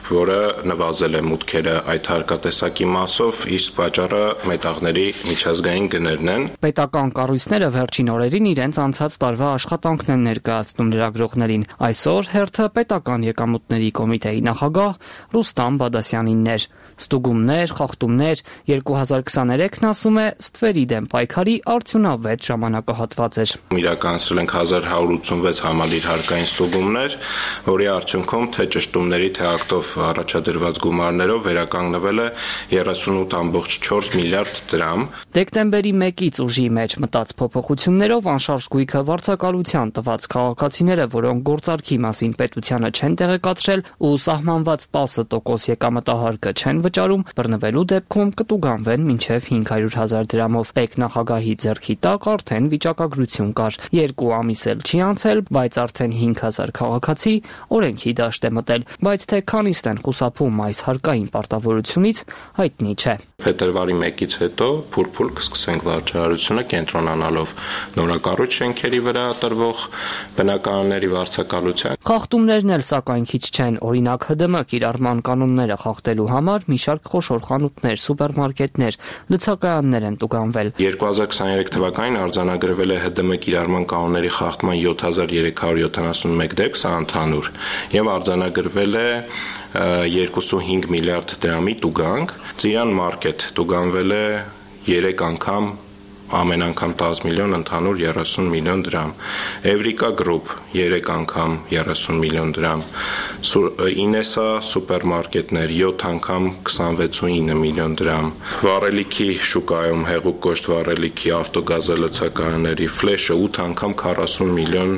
N: որը նվազել է մուտքերը այդ հարկատեսակի մասով, իսկ պատճառը մետաղների միջազգային գներն են։
L: Պետական կառույցները վերջին օրերին իրենց անցած տարվա աշխատանքն են ներկայացնում լրագրողներին։ Այսօր հերթը պետական եկամուտների կոմիտեի նախագահ Ռուստամ Բադասյանինն էր։ Ստուգումներ, խախտումներ, երկու հազար քսաներեքն ասում է ստվերի դեմ պայքարի արդյունավետ ժամանակահատված էր։
N: Իրականացրել ենք հազար հարյուր ութսունվեց համալիր հարկային ստուգումներ, որի արդյունքում թե ճշտումների, թե ակտով առաջադրված գումարներով վերականգնվել է երեսունութ ամբողջ չորս միլիարդ դրամ։
L: Դեկտեմբերի մեկից ուժի մեջ մտած փոփոխություններով անշարժ գույքը վարձակալության տված քաղաքացիները, որոնք գործարքի մասին պետությանը չեն տեղեկացրել ու սահմանված տասը տոկոս եկամտահարկը չեն վճարում, բռնվելու դեպքում կտուգանվեն մինչև հինգ հարյուր հազար դրամով։ Պետնախագահի ձեռքի տակ արդեն վիճակագրություն կար։ Երկու ամիս էլ չի անցել, բայց արդեն հինգ հազար քաղաքացի օրենքի դաշտ է մտել, բայց թե քանիստ են խուսափում այս հարկային պարտավորությունից, հայտնի չէ։
N: Փետրվարի մեկից հետո փուլ-փուլ կսկսենք վարչարարությունը կենտրոնանալով նորակառույց շենքերի վրա տրվող բնակարանների վարձակալության։
L: Խախտումներն էլ սակայն քիչ չեն, օրինակ Հ Դը Մ կիրառման կանոնները խախտելու համար մի շարք խոշոր խանութներ, սուպերմարկետներ, լցակայաններ են տուգանվել։
N: երկու հազար քսաներեք թվականին արձանագրվել է Հ Դը Մ կիրառման կանոնների խախտման յոթ հազար երեք հարյուր յոթանասունմեկ դեպք, սա ընդհանուր, եւ արձանագրվել է երկուսունհինգ միլիարդ դրամի տուգանք։ Ծիրան մարքեթ տուգանվել է երեք անգամ, ամեն անգամ տասը միլիոն, ընդհանուր երեսուն միլիոն դրամ։ Էվրիկա գրուպ երեք անգամ երեսուն միլիոն դրամ։ Ինեսա սուպերմարկետներ յոթ անգամ քսանվեցուինը միլիոն դրամ։ Վառելիքի շուկայում հեղուկ կոշտ վառելիքի ավտոգազալցակայանների ֆլեշը ութ անգամ քառասուն միլիոն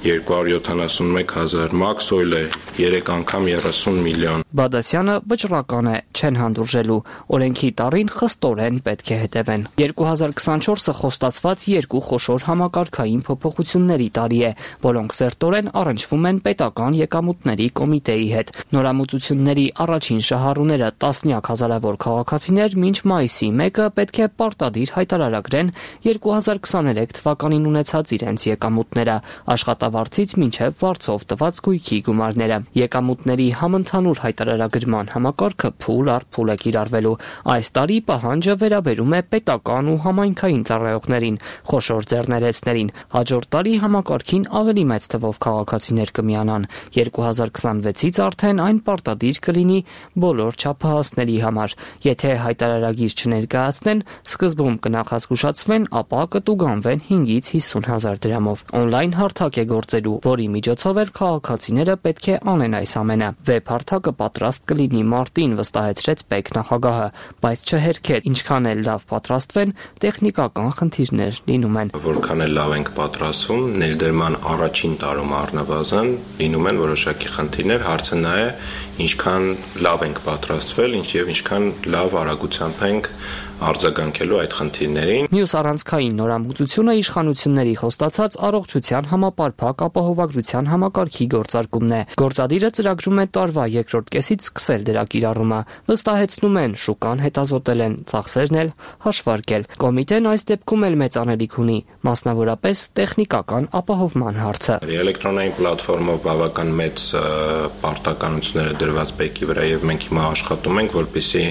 N: երկու հարյուր յոթանասունմեկ հազար։ Մաքս օյլը երեք անգամ երեսուն միլիոն։
L: Բադասյանը վճռական է, չեն հանդուրժելու, օրենքի տառին խստորեն պետք է հետևեն։ երկու հազար քսանչորսը խոստացված երկու խոշոր համակարգային փոփոխությունների տարի է, որոնք սերտորեն առնչվում են պետական եկամուտների կոմիտեի հետ։ Նորամուծությունների առաջին շահառուները տասնյակ հազարավոր քաղաքացիներ մինչ մայիսի մեկը պետք է պարտադիր հայտարարագրեն երկու հազար քսաներեք թվականին ունեցած իրենց եկամուտները, աշխատավարձից մինչև վարձով տված գույքի գումարները։ Եկամուտների համընդհանուր հայտարարագրման համակարգը փուլ առ փուլ է կիրառվելու։ Այս տարի պահանջը վերաբերում է պետական ու համայնքային ծառայողներին, խոշոր ձեռներեցներին։ Հաջորդ տարի համակարգին ավելի մեծ թվով քաղաքացիներ կմիանան։ երկու հազար քսանվեցից արդեն այն պարտադիր կլինի բոլոր չափահասների համար։ Եթե հայտարարագիր չներկայացնեն, սկզբում կնախազգուշացվեն, ապա կտուգանվեն հինգից հիսուն հազար դրամով։ Օնլայն հարթակ է գործելու, որի միջոցով էլ քաղաքացիները պետք է անեն այս ամենը։ Վեբ հարթակը պատրաստ կլինի մարտին, վստահեցրեց պետնախագահը, բայց չհերքել, ինչքան էլ լավ պատրաստվեն, տեխնիկական խնդիրներ լինում են։
N: Որքան էլ լավ ենք պատրաստվում, ներդրման առաջին տարում առնվազն լինում են որոշակի խնդիրներ, հարցը նա է, ինչքան լավ ենք պատրաստվել, ինչ եւ ինչքան լավ արագությամբ ենք արձագանքելու այդ խնդիրներին։
L: Մյուս առանցքային նորամուծությունը իշխանությունների խոստացած առողջության համապարփակ ապահովագրության համակարգի գործարկումն է։ Գործադիրը ծրագրում է տարվա երկրորդ կեսից սկսել դրա կիրառումը։ Վստահեցնում են, շուկան հետազոտել են, ծախսերն էլ հաշվարկել։ Կոմիտեն այս դեպքում էլ մեծ անելիք ունի, մասնավորապես տեխնիկական ապահովման հարցը։
N: Էլեկտրոնային պլատֆորմով բավական մեծ պարտականություններ դրված բեկի վրա եւ մենք հիմա աշխատում ենք, որպեսզի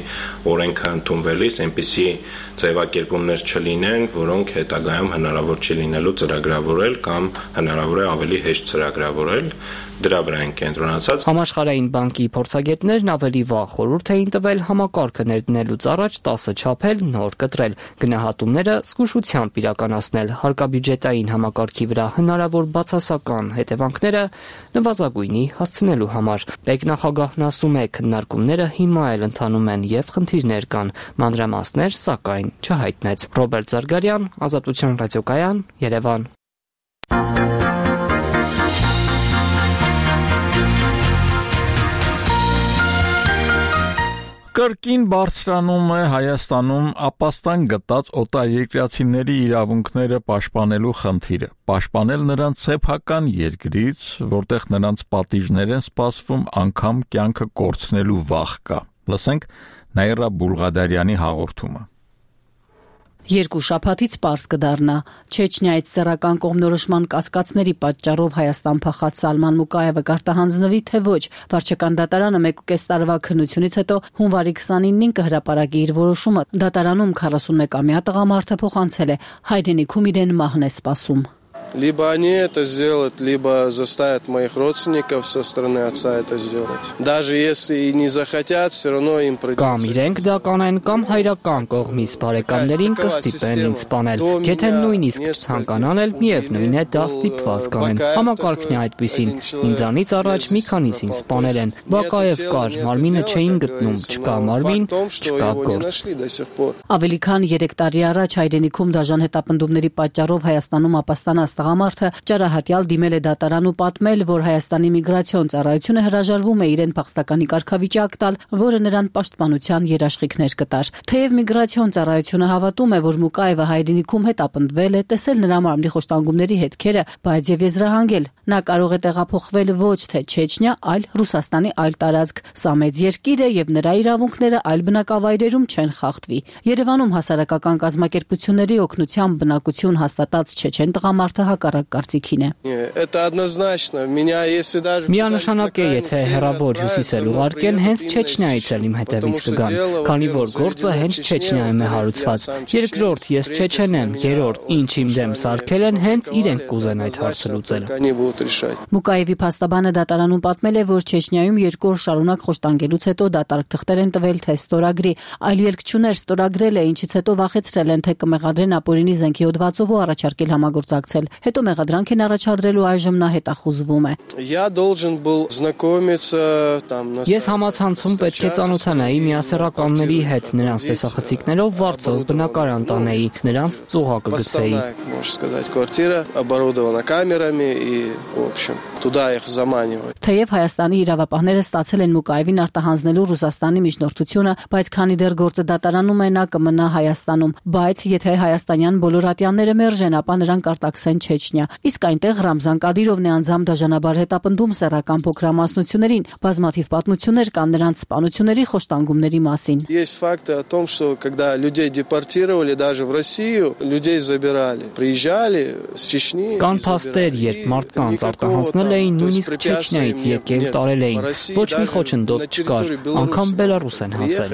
N: օրենքը ընդունվելիս այնպիսի այդպիսի ձևակերպումներ չլինեն, որոնք հետագայում հնարավոր չի լինելու ծրագրավորել կամ հնարավոր է ավելի հեշտ ծրագրավորել, դրա վրա են կենտրոնացած։
L: Համաշխարհային բանկի փորձագետներն ավելի վաղ խորհուրդ էին տվել համակարգը ներդնելուց առաջ տասը չափել, նոր կտրել, գնահատումները զգուշությամբ իրականացնել, հարկաբյուջետային համակարգի վրա հնարավոր բացասական հետևանքները նվազագույնի հասցնելու համար։ Պետնախագահն ասում է, քննարկումները հիմա էլ ընթանում են եւ խնդիրներ կան, մանրամասներ սակայն չհայտնեց։ Ռոբերտ Զարգարյան, Ազատություն ռադիոկայան, Երևան։
A: Կրկին բարձրանում է Հայաստանում ապաստան գտած օտարերկրացիների իրավունքները պաշտպանելու խնդիրը, պաշտպանել նրանց սեփական երկրից, որտեղ նրանց պատիժներ են սպասվում, անգամ կյանքը կորցնելու վախ կա։ Լսենք Նաիրա Բուլղադարյանի հաղորդումը։
O: Երկու շաբաթից պարզ կդառնա Չեչնիայից սեռական կողմնորոշման կասկածների պատճառով Հայաստան փախած Սալման Մուկայևը կարտահանձնվի, թե ոչ։ Վարչական դատարանը մեկ ու կես տարվա քննությունից հետո հունվարի քսանինին կհրապարակի իր որոշումը։ Դատարանում քառասունմեկամյա տղամարդը փոխանցել է հայրենիքում իրեն մահն է սպասում։
P: Либо они это сделают, либо заставят моих родственников со стороны отца это сделать. Даже если и не захотят, все равно им придется.
L: Կամ իրենք դա կանեն, կամ հայրական կողմից բարեկամներին կստիպեն ինձ սպանել։ Եթե նույնիսկ ցանկանան էլ միևնույն է դա ստիպված կանեն։ Համակարգն է այդպեսին։ Ինձանից առաջ մի քանիսին սպանել են։ Բակաև կար, մարմինը չէին գտնում, չկա մարմին, չկա գործ։
O: Ավելի քան երեք տարի առաջ հայրենիքում դաժան հետապնդումների պատճառով Հայաստանում ապաստանած տղամարդը ճարահատյալ դիմել է դատարան ու պատմել, որ Հայաստանի միգրացիոն ծառայությունը հրաժարվում է իրեն փախստականի կարգավիճակ տալ, որը նրան պաշտպանության երաշխիքներ կտար։ Թեև միգրացիոն ծառայությունը հավատում է, որ Մուկայևը հայրենիքում հետապնդվել է, տեսել նրա մարմնի խոշտանգումների հետքերը, բայց եւ եզրահանգել։ Նա կարող է տեղափոխվել ոչ թե Չեչնիա, այլ Ռուսաստանի այլ տարածք։ Սա մեծ երկիր է եւ նրա իրավունքները այլ բնակավայրերում չեն խախտվի։ Երևանում հասարակական կազմակերպությունների օգնությամբ բնակություն հաստատած չեչեն տղամարդը հակառակ կարծիքին է։
P: Это однозначно. Меня если даже
L: Միանշանակ է, եթե հեռավոր հյուսիսել ուղարկեն, հենց Չեչնիայից էլ իմ հետևից կգան, քանի որ գործը հենց Չեչնիայում է հարուցված։ Երկրորդ, ես չեչեն եմ, երրորդ, ինչ իմ դեմ սարքել են, հենց իրենք կուզեն այդ հարցը լուծել։
O: Մուկայևի փաստաբանը դատարանում պատմել է, որ Չեչնիայում երկու օր շարունակ խոշտանգելուց հետո դատարկ թղթեր են տվել, թե ստորագրի, այլ ելք չուներ, ստորագրել է, ինչից հետո վախեցրել են, թե կմեղադրեն ապօրինի զենքի հոդվածով ու առաջարկել համագործակցել։ Հետո մեղադրանք են առաջադրելու, այժմ նա հետախուզվում է։
L: Ես համացանցում պետք է ծանոթանայի միասեռականների հետ, նրանց տեսախցիկներով վարձով բնակարան տանեի, նրանց ծուղակը գցեի։
O: Թեև Հայաստանի իրավապահները ստացել են Մուկայևին արտահանձնելու Ռուսաստանի միջնորդությունը, բայց քանի դեռ գործը դատարանում է, նա կմնա Հայաստանում, բայց եթե հայաստանյան բոլոր ատյանները մերժեն, ապա նրան կարտաքսեն Չեչնիա։ Իսկ այնտեղ Ռամզան Կադիրովն է անձամբ դաժանաբար հետապնդում սեռական փոքրամասնություններին, բազմաթիվ պատմություններ կան նրանց սպանությունների, խոշտանգումների մասին։
P: Есть факты о том, что когда людей депортировали даже в Россию, людей забирали, приезжали с Чечни.
L: Կան փաստեր, երբ մարդկանց արտահանձնել էին, նույնիսկ Չեչնիայից եկել տարել էին։ Ոչ մի խոչընդոտ չկար, անգամ Բելարուս են հասել։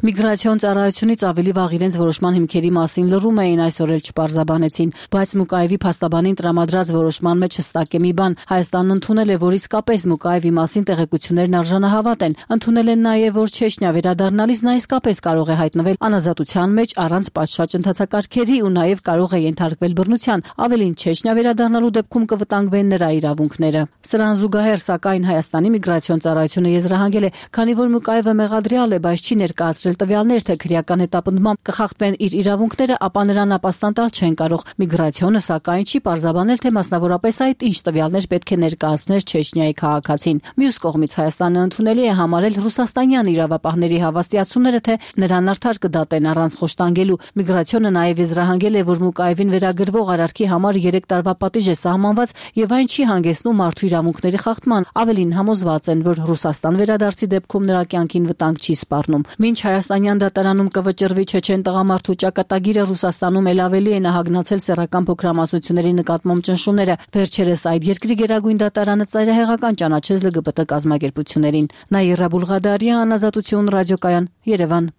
O: Միգրացիոն ծառայությունից ավելի վաղ իրենց որոշման հիմքերի մասին լռում էին, այսօր էլ չպարզաբանեցին, բայց Մուկայևի փաստաբանին տրամադրած որոշման մեջ հստակ է մի բան. Հայաստանն ընդունել է, որ իսկապես Մուկայևի մասին տեղեկություններն արժանահավատ են։ Ընդունել են նաև, որ Չեչնիա վերադառնալիս նա իսկապես կարող է հայտնվել անազատության մեջ առանց պատշաճ ընթացակարգերի ու նաև կարող է ենթարկվել բռնության։ Ավելին, Չեչնիա վերադառնալու դեպքում կվտանգվեն նրա իրավունքները։ Սրան զուգահեռ, սակայն Հայաստանի միգրացիոն ծառայությունը եզրահանգել է, քանի որ Մուկայևը մեղադրյալ է, բայց չի ներկայացրել տվյալներ, թե քրեական հետապնդմամբ կխախտվեն իր իրավունքները, ապա նրան ապաստան տալ չեն կարող։ Միգրացիոնը սակայն չի պարզաբանել, թե մասնավորապես այդ ինչ տվյալներ պետք է ներկայացներ Չեչնիայի քաղաքացին։ Մյուս կողմից Հայաստանը ընդունելի է համարել ռուսաստանյան իրավապահների հավաստիացումները, թե նրան արդար կդատեն առանց խոշտանգելու։ Միգրացիոնը նաև եզրահանգել է, որ Մուկայևին վերագրվող արարքի համար երեք տարվա պատիժ է սահմանված եւ այն չի հանգեցնում մարդու իրավունքների խախտման։ Ավելին, համոզված են, որ Ռուսաստան վերադարձի դեպքում նրա կյանքին վտանգ չի սպառնում։ Մինչ հայաստանյան դատարանում կվճռվի չեչեն տղամարդու ճակատագիրը, Ռուսաստանում էլ ավելի է նահագնացել սեռական փոքրամասնությունների նկատմամբ ճնշումները։ Վերջերս այդ երկրի գերագույն դատարանը ծայրահեղական ճանաչեց ԼԳԲՏ կազմակերպություններին։ Նաիրա Բուլղադարյան, Ազատություն ռադիոկայան, Երևան։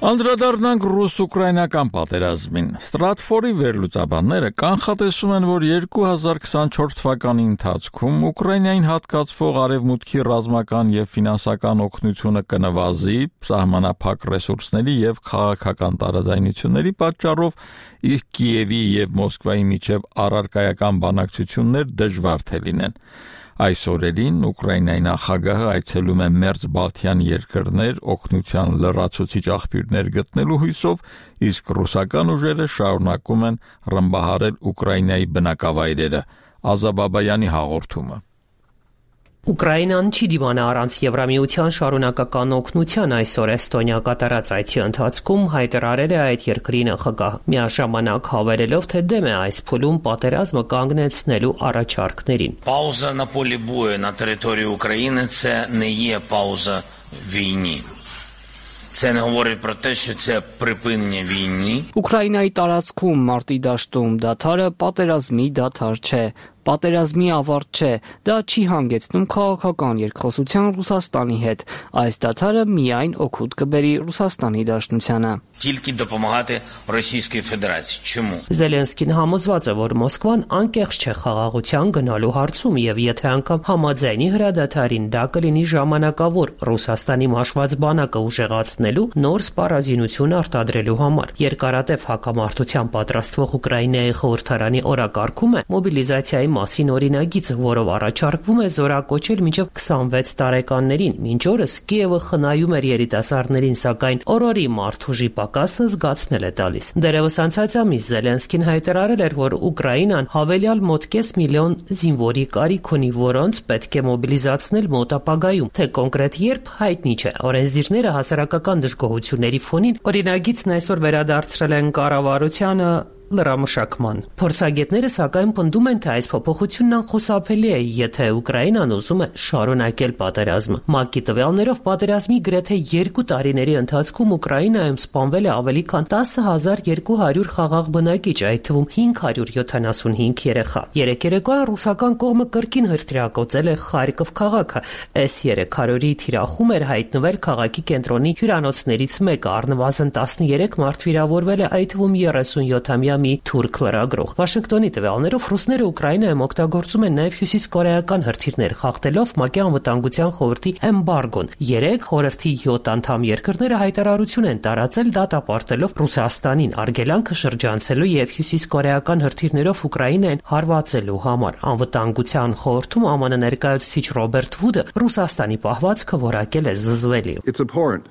A: Անդրադառնանք ռուս-ուկրաինական պատերազմին։ Ստրատֆորի վերլուծաբանները կանխատեսում են, որ երկու հազար քսանչորս թվականի ընթացքում Ուկրաինային հատկացվող արևմուտքի ռազմական եւ ֆինանսական օգնությունը կնվազի սահմանափակ ռեսուրսների եւ քաղաքական տարաձայնությունների պատճառով, իսկ Կիևի եւ Մոսկվայի միջև առարկայական բանակցություններ դժվար թե լինեն։ Այս օրերին Ուկրաինայի նախագահը այցելում է մերձ Բալթյան երկրներ օգնության լրացուցիչ աղբյուրներ գտնելու հույսով, իսկ ռուսական ուժերը շարունակում են ռմբահարել Ուկրաինայի բնակավայրերը։ Ազաբաբայանի հաղորդումը։
Q: Ուկրաինան չի դիմանա առանց Եվրամիության շարունակական օգնության այսօր Էստոնիա կատարած այցի ընթացքում հայտարարել է այդ երկրի նախագահ, միաժամանակ հավելելով, թե դեմ է այս փուլում պատերազմը կանգնեցնելու առաջարկներին։
R: Пауза на полі бою на території України – це не є пауза війні. Це не говорить про те, що це припинення війни.
L: Ուկրաինայի տարածքում մարտի դաշտում դադարը պատերազմի դադար չէ, պատերազմի ավարտ չէ, դա չի հանգեցնում քաղաքական երկխոսության Ռուսաստանի հետ, այս դադարը միայն օգուտ կբերի Ռուսաստանի դաշնությանը։
R: Тільки допомагати Російській Федерації. Чому?
Q: Զելենսկին համոզված է, որ Մոսկվան անկեղծ չէ խաղաղության գնալու հարցում եւ եթե անգամ համաձայնի հրադադարին, դա կլինի ժամանակավոր Ռուսաստանի մաշված բանակը ուժեղացնելու նոր սպառազինություն արտադրելու համար։ Երկարատև հակամարտության պատրաստվող Ուկրաինայի խորհրդարանի օրակարգում է մոբիլիզացիայի մասին օրինագիծ, որով առաջարկվում է զորակոչել մինչև քսանվեց տարեկաններին։ Մինչ օրս Կիևը խնայում էր երիտասարդներին, սակայն օրորի մարդուժի պակասը զգացնել է տալիս։ Դերևս անցած ամիս Զելենսկին հայտարարել էր, որ Ուկրաինան հավելյալ մոտ կես միլիոն զինվորի կարիք ունի, որոնց պետք է մոբիլիզացնել մոտ ապագայում, թե կոնկրետ երբ հայտնի չէ։ Օրենսդիրները հասարակական դժգոհությունների ֆոնին օրինագիծն այսօր վերադարձրել են կառավարությանը լրամշակման։ Փորձագետները սակայն պնդում են, թե այս փոփոխությունն անխուսափելի է, եթե Ուկրաինան ուզում է շարունակել պատերազմը։ ՄԱԿ-ի տվյալներով պատերազմի գրեթե երկու տարիների ընթացքում Ուկրաինայում սպանվել է ավելի քան տասը հազար երկու հարյուր խաղաղ բնակիչ, այդ թվում հինգ հարյուր յոթանասունհինգ երեխա։ Երեք երեկոյան ռուսական կողմը կրկին հրթիռակոծել է Խարկով քաղաքը։ Էս երեք հարյուրի թիրախում էր հայտնվել քաղաքի կենտրոնի հյուրանոցներից մեկը, առնվազն տասներեք մարդ վիրավորվել է, այդ թվում երեսունյոթամյա մի թուրք լրագրող։ Վաշինգտոնի տվյալներով ռուսները Ուկրաինայում օգտագործում են նաև հյուսիսկորեական հրթիռներ, խախտելով ՄԱԿ-ի անվտանգության խորհրդի էմբարգոն։ Երեք խորհրդի յոթ անդամ երկրները հայտարարություն են տարածել դատապարտելով Ռուսաստանին արգելանքը շրջանցելու եւ հյուսիսկորեական հրթիռներով Ուկրաինային հարվածելու համար։ Անվտանգության խորհրդում ԱՄՆ ներկայացուցիչ Ռոբերտ Վուդը Ռուսաստանի պահվածքը որակել է զզվելի։
S: It's abhorrent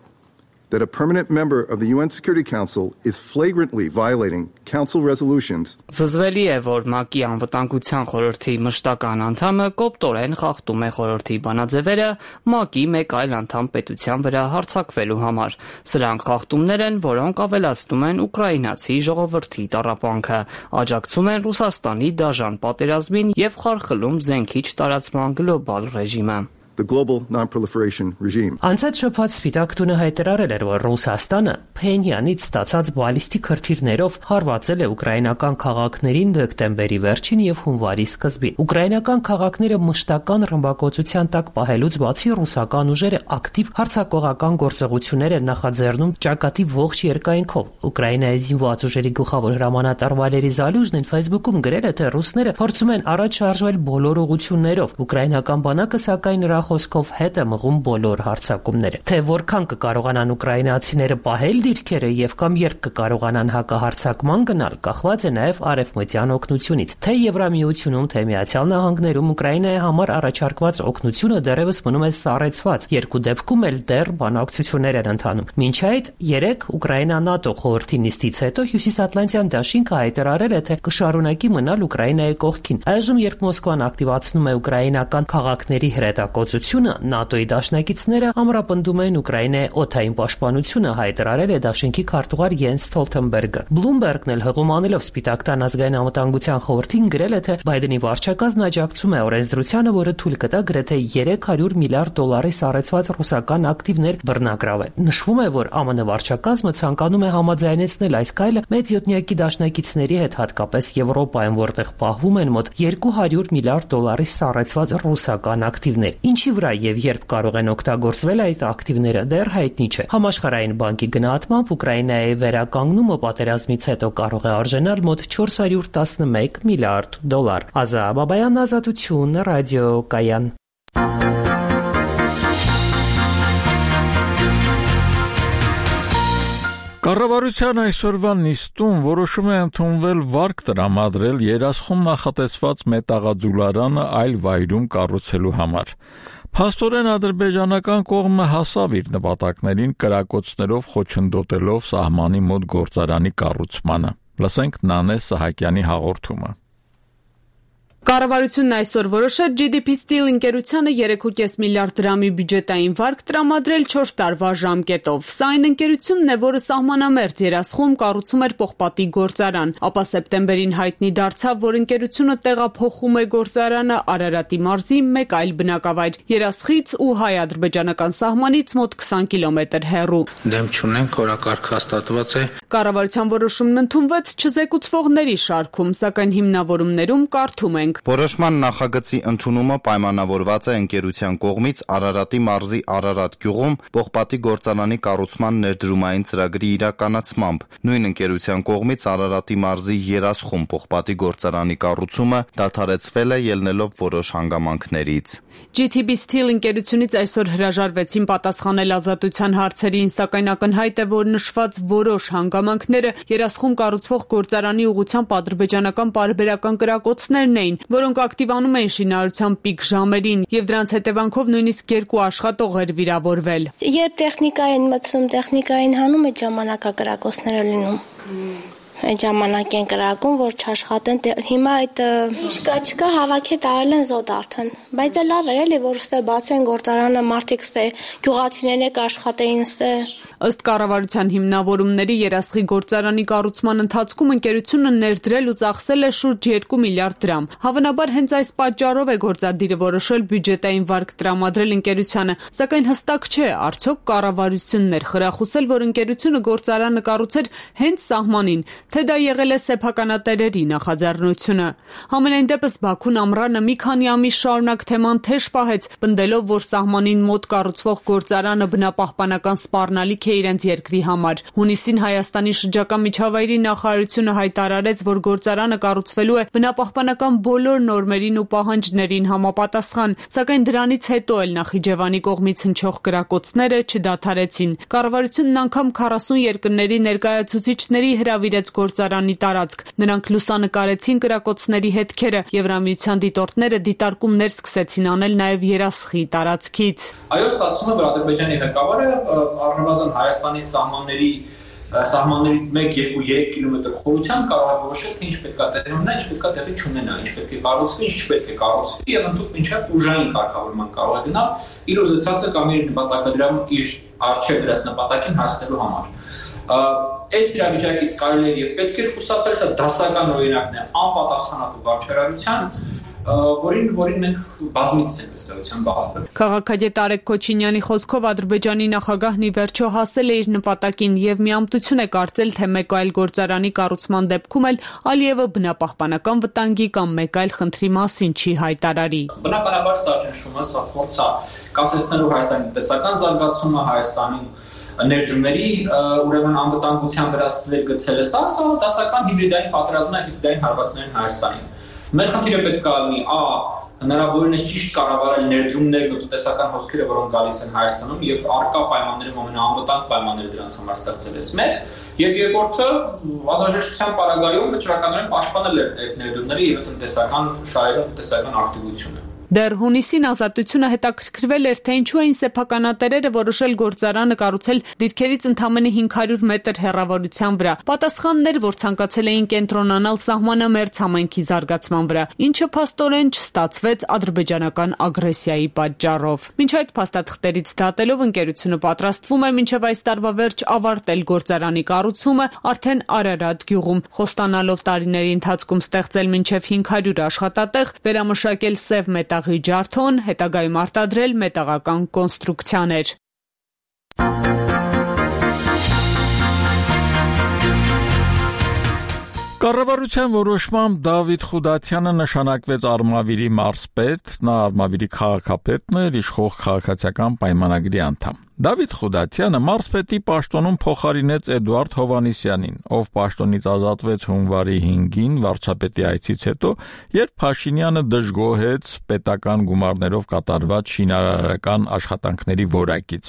S: that a permanent member of the U N Security Council is flagrantly violating council resolutions.
L: Զզվելի է, որ ՄԱԿ-ի անվտանգության խորհրդի մշտական անդամը կոպտորեն խախտում է խորհրդի բանաձևերը ՄԱԿ-ի մեկ այլ անդամ պետության վրա հարձակվելու համար։ Սրանք խախտումներ են, որոնք ավելացնում են ուկրաինացի ժողովրդի տառապանքը, աջակցում են Ռուսաստանի դաժան պատերազմին եւ խարխլում զենքի չտարածման գլոբալ ռեժիմը։
S: The global non-proliferation regime.
Q: Անցած շաբաթ Սպիտակ տունը հայտարարել էր, որ Ռուսաստանը Փենյանից ստացած բալիստիկ հրթիռներով հարվածել է ուկրաինական քաղաքներին դեկտեմբերի վերջին եւ հունվարի սկզբին։ Ուկրաինական քաղաքները մշտական ռմբակոծության տակ պահելուց բացի ռուսական ուժերը ակտիվ հարձակողական գործողություններ են նախաձեռնում ճակատի ողջ երկայնքով։ Ուկրաինայի զինված ուժերի գլխավոր հրամանատար Վալերի Զալյուժնին Facebook-ում գրել է, թե ռուսները փորձում են առաջ շարժվել բոլոր ուղղություններով։ Ուկրաինական բանակը սակայն նրա խոսքով հետ է մղում բոլոր հարձակումները։ Թե որքան կկարողանան ուկրաինացիները պահել դիրքերը եւ կամ երբ կկարողանան հակահարձակման գնալ, կախված է նաեւ արևմտյան օգնությունից։ Թե Եվրամիությունում, թե Միացյալ Նահանգներում Ուկրաինայի համար առաջարկված օգնությունը դեռևս մնում է սառեցված։ Երկու դեպքում էլ դեռ բանակցություններ են ընթանում։ Մինչ այդ երեք Ուկրաինա-ՆԱՏՕ խորհրդի նիստից հետո Հյուսիսատլանտյան դաշինքը հայտարարել է, թե կշարունակի մնալ Ուկրաինայի կողքին։ Այժմ, երբ Մոսկվան ակտիվացնում է ուկրաինական քաղաքների հրետակոծությունը, գործունեությունը ՆԱՏՕ-ի դաշնակիցները ամրապնդում են Ուկրաինայի օդային պաշտպանությունը, հայտարարել է դաշինքի քարտուղար Յենս Ստոլթենբերգը։ Բլումբերգն էլ հղում անելով Սպիտակ տան ազգային անվտանգության խորհրդին գրել է, թե Բայդենի վարչակազմն աջակցում է օրենսդրությանը, որը թույլ կտա գրեթե երեք հարյուր միլիարդ դոլարի սառեցված ռուսական ակտիվներ բռնագրավել։ Նշվում է, որ ԱՄՆ վարչակազմը ցանկանում է համաձայնեցնել այս քայլը մեծ յոթնյակի դաշնակիցների հետ, հատկապես Եվրոպայում, որտեղ պահվում են մոտ երկու հարյուր միլիարդ դոլարի սառեցված ռուսական ակտիվներ։ Ինչի վրա եւ երբ կարող են օգտագործվել այդ ակտիվները, դեռ հայտնի չէ։ Համաշխարհային բանկի գնահատմամբ Ուկրաինայի վերականգնումը պատերազմից հետո կարող է արժանալ մոտ չորս հարյուր տասնմեկ միլիարդ դոլար։ Ազա Բաբայան, Ազատություն, ռադիոկայան։
A: Կառավարության այսօրվա նիստում որոշում է ընդունվել վարկ տրամադրել երասխում նախատեսված մետաղաձուլարանը այլ վայրում կառուցելու համար։ Փաստորեն ադրբեջանական կողմը հասավ իր նպատակներին կրակոցներով խոչընդոտելով սահմանի մոտ գործարանի կառուցմանը։ Լսենք Նանե Սահակյանի հաղորդումը։
T: Կառավարությունն այսօր որոշեց ջի դի պի Steel ընկերությանը երեք կόμμα պենս միլիարդ դրամի բյուջետային վարկ տրամադրել չորս տարվա ժամկետով։ Սա այն ընկերությունն է, որը սահմանամերձ երասխում կառուցում էր պողպատի գործարան, ապա սեպտեմբերին հայտնի դարձավ, որ ընկերությունը տեղափոխում է գործարանը Արարատի մարզի մեկ այլ բնակավայր՝ Երասխից ու հայ-ադրբեջանական սահմանից մոտ քսան կիլոմետր հեռու։
U: Դեմ չունենք, օրակարգ հաստատված է։
T: Կառավարության որոշումն ընդունվեց չզեկուցվողների շարքում, սակայն հիմնավորումներում կարդում ենք.
F: Որոշման նախագծի ընդունումը պայմանավորված է ընկերության կողմից Արարատի մարզի Արարատ գյուղում պողպատի գործարանի կառուցման ներդրումային ծրագրի իրականացմամբ։ Նույն ընկերության կողմից Արարատի մարզի Երասխում պողպատի գործարանի կառուցումը դադարեցվել է ելնելով որոշ հանգամանքներից։
T: ջի դի պի Steel ընկերությունից այսօր հրաժարվեցին պատասխանել Ազատության հարցերին, սակայն ակնհայտ է, որ նշված որոշ հանգամանքները երասխում կառուցվող գործարանի ուղղությամբ ադրբեջանական պարբերական կրակոցներն էին, որոնք ակտիվանում էին շինարարության պիկ ժամերին, եւ դրանց հետևանքով նույնիսկ երկու աշխատող էր վիրավորվել։
V: Երբ տեխնիկա են մտցում, տեխնիկային հանում այդ ժամանակակրակոցները լինում։ Այդ ժամանակ են կրակում, որ չաշխատեն, հիմա այդ չկա, չկա հավաքի տարել են զոդ արդեն, բայց լավ է էլի, որ ստե բացեն գործարանը, մարդիկ ստե գյուղացիներն եք աշխատեին ստե։
T: Ըստ կառավարության հիմնավորումների Երասխի գործարանի կառուցման ընթացքում ընկերությունը ներդրել ու ծախսել է շուրջ երկու միլիարդ դրամ։ Հավանաբար հենց այս պատճառով է գործադիրը որոշել բյուջետային վարկ տրամադրել ընկերությանը, սակայն հստակ չէ, արդյոք կառավարությունն էր խրախուսել, որ ընկերությունը գործարանը կառուցեր հենց սահմանին, թե դա եղել է սեփականատերերի նախաձեռնությունը։ Համենայն դեպս Բաքուն ամռանը մի քանի ամիս շարունակ թեման թեժ պահեց, պնդելով, որ սահմանին մոտ կառուցվող գործարանը բնապահպանական սպառնալիք է իրենց երկրի համար։ Հունիսին Հայաստանի շրջակա միջավայրի նախարարությունը հայտարարեց, որ գործարանը կառուցվելու է բնապահպանական բոլոր նորմերին ու պահանջներին համապատասխան, սակայն դրանից հետո էլ Նախիջևանի կողմից հնչող կրակոցները չդադարեցին։ Կառավարությունն անգամ քառասուն երկրների ներկայացուցիչների հրավիրեց գործարանի տարածք։ Նրանք լուսանկարեցին կրակոցների հետքերը, Եվրամիության դիտորդները դիտարկումներ սկսեցին անել նաև Երասխի տարածքից։
W: Այո, ստացվում է, որ Ադրբեջանի ղեկավարը առնվազն Հայաստանի սահմանների սահմաններից մեկ, երկու, երեք կիլոմետր խորությամբ կարող է որոշել, թե ինչ պետք է տեղի ունենա, ինչ պետք է տեղի չունենա, ինչ պետք է կառուցվի, ինչ չպետք է կառուցվի, եւ ընդհանուր մինչև ուժային կարգավորման կարող է գնալ իր ուզեցածը կամ իր նպատակադրամ իր արժեք դրած նպատակին հասնելու համար։ Այս իրավիճակից կարելի է եւ պետք է խուսափել, սա դասական օրինակն է անպատասխանատու վարչարարության, որին որին մենք բազմից ենք ըստեղության բախվել։
T: Քաղաքագետ Արեգ Քոչինյանի խոսքով Ադրբեջանի նախագահն ի վերջո հասել է իր նպատակին եւ միամտություն է կարծել, թե մեկ այլ գործարանի կառուցման դեպքում էլ Ալիևը բնապահպանական վտանգի կամ մեկ այլ խնդրի մասին չի հայտարարի։
W: Բնականաբար սա ճնշումը, սա փորձ է կասեցնելու Հայաստանի տնտեսական զարգացումը, Հայաստանի ներդրումների ուրեմն անվտանգության վրա ստվեր գցելը, սա սա դասական հիբրիդային պատերազմն է հիբրիդային հարվածներին Հայաստանին։ Մեր խնդիրը պետք է լինի ա հնարավորինս ճիշտ կառավարել ներդրումներն ու տնտեսական հոսքերը, որոնք գալիս են Հայաստանում եւ արկա պայմաններում ամենաանվտանգ պայմանները դրանց համար ստեղծել է մեկ, եւ երկրորդը անհրաժեշտության պարագայում վճռականորեն պաշտպանել այդ ներդրումները եւ տնտեսական շահերը, տնտեսական ակտիվությունը։
T: Դեռ հունիսին Ազատությունը հետաքրքրվել էր, թե ինչու էին սեփականատերերը որոշել գործարանը կառուցել դիրքերից ընդամենը հինգ հարյուր մետր հեռավորության վրա։ Պատասխանն էր, որ ցանկացել էին կենտրոնանալ սահմանամերձ համայնքի զարգացման վրա, ինչը փաստորեն չստացվեց ադրբեջանական ագրեսիայի պատճառով։ Մինչ այդ փաստաթղթերից դատելով ընկերությունը պատրաստվում է մինչև այս տարվա վերջ ավարտել գործարանի կառուցումը արդեն Արարատ գյուղում, խոստանալով տարիների ընթացքում ստեղծել մինչև հինգ հարյուր աշխատատեղ, վերամշակել սև մետաղի ջարդոն, հետագայում արտադրել մետաղական կոնստրուկցիաներ։
A: Կառավարության որոշմամբ Դավիթ Խուդատյանը նշանակվեց Արմավիրի մարզպետ, նա Արմավիրի քաղաքապետն էր, իշխող քաղաքացիական պայմանագրի անդամ։ Դավիթ Խուդատյանը մարզպետի պաշտոնում փոխարինեց Էդուարդ Հովհաննիսյանին, ով պաշտոնից ազատվեց հունվարի հինգին վարչապետի այցից հետո, երբ Փաշինյանը դժգոհեց պետական գումարներով կատարված շինարարական աշխատանքների որակից։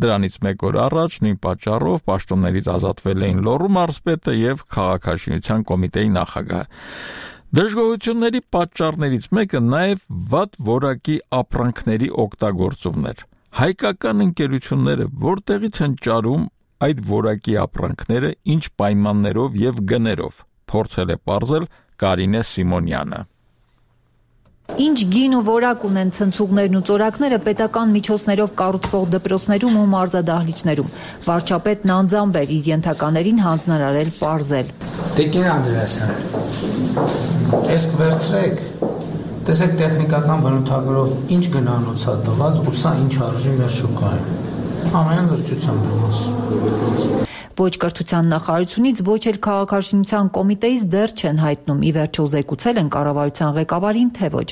A: Դրանից մեկ օր առաջ նույն պատճառով պաշտոններից ազատվել էին Լոռու մարզպետը եւ քաղաքաշինության կոմիտեի նախագահը։ Դժգոհությունների պատճառներից մեկը նաև վատ որակի ապրանքների օգտագործումն էր։ Հայկական ընկերությունները որտեղից են ճարում այդ որակի ապրանքները, ինչ պայմաններով եւ գներով, փորձել է պարզել Կարինե Սիմոնյանը։
B: Ինչ գին ու որակ ունեն ցնցուղներն ու ծորակները պետական միջոցներով կառուցվող դպրոցներում ու մարզադահլիճներում։ Վարչապետն անձամբ էր իր ենթականերին հանձնարարել պարզել։
U: Տիկին Անդրեասյան, ես վերցրեք, տեսեք տեխնիկական բնութագրով ինչ գնանոց է տված ու սա ինչ արժի մեր շուկայում։ Ամեն լրջությամբ եմ ասում։
B: Ոչ կրթության նախարարությունից, ոչ էլ քաղաքաշինության կոմիտեից դեռ չեն հայտնում, ի վերջո զեկուցել են կառավարության ղեկավարին, թե ոչ։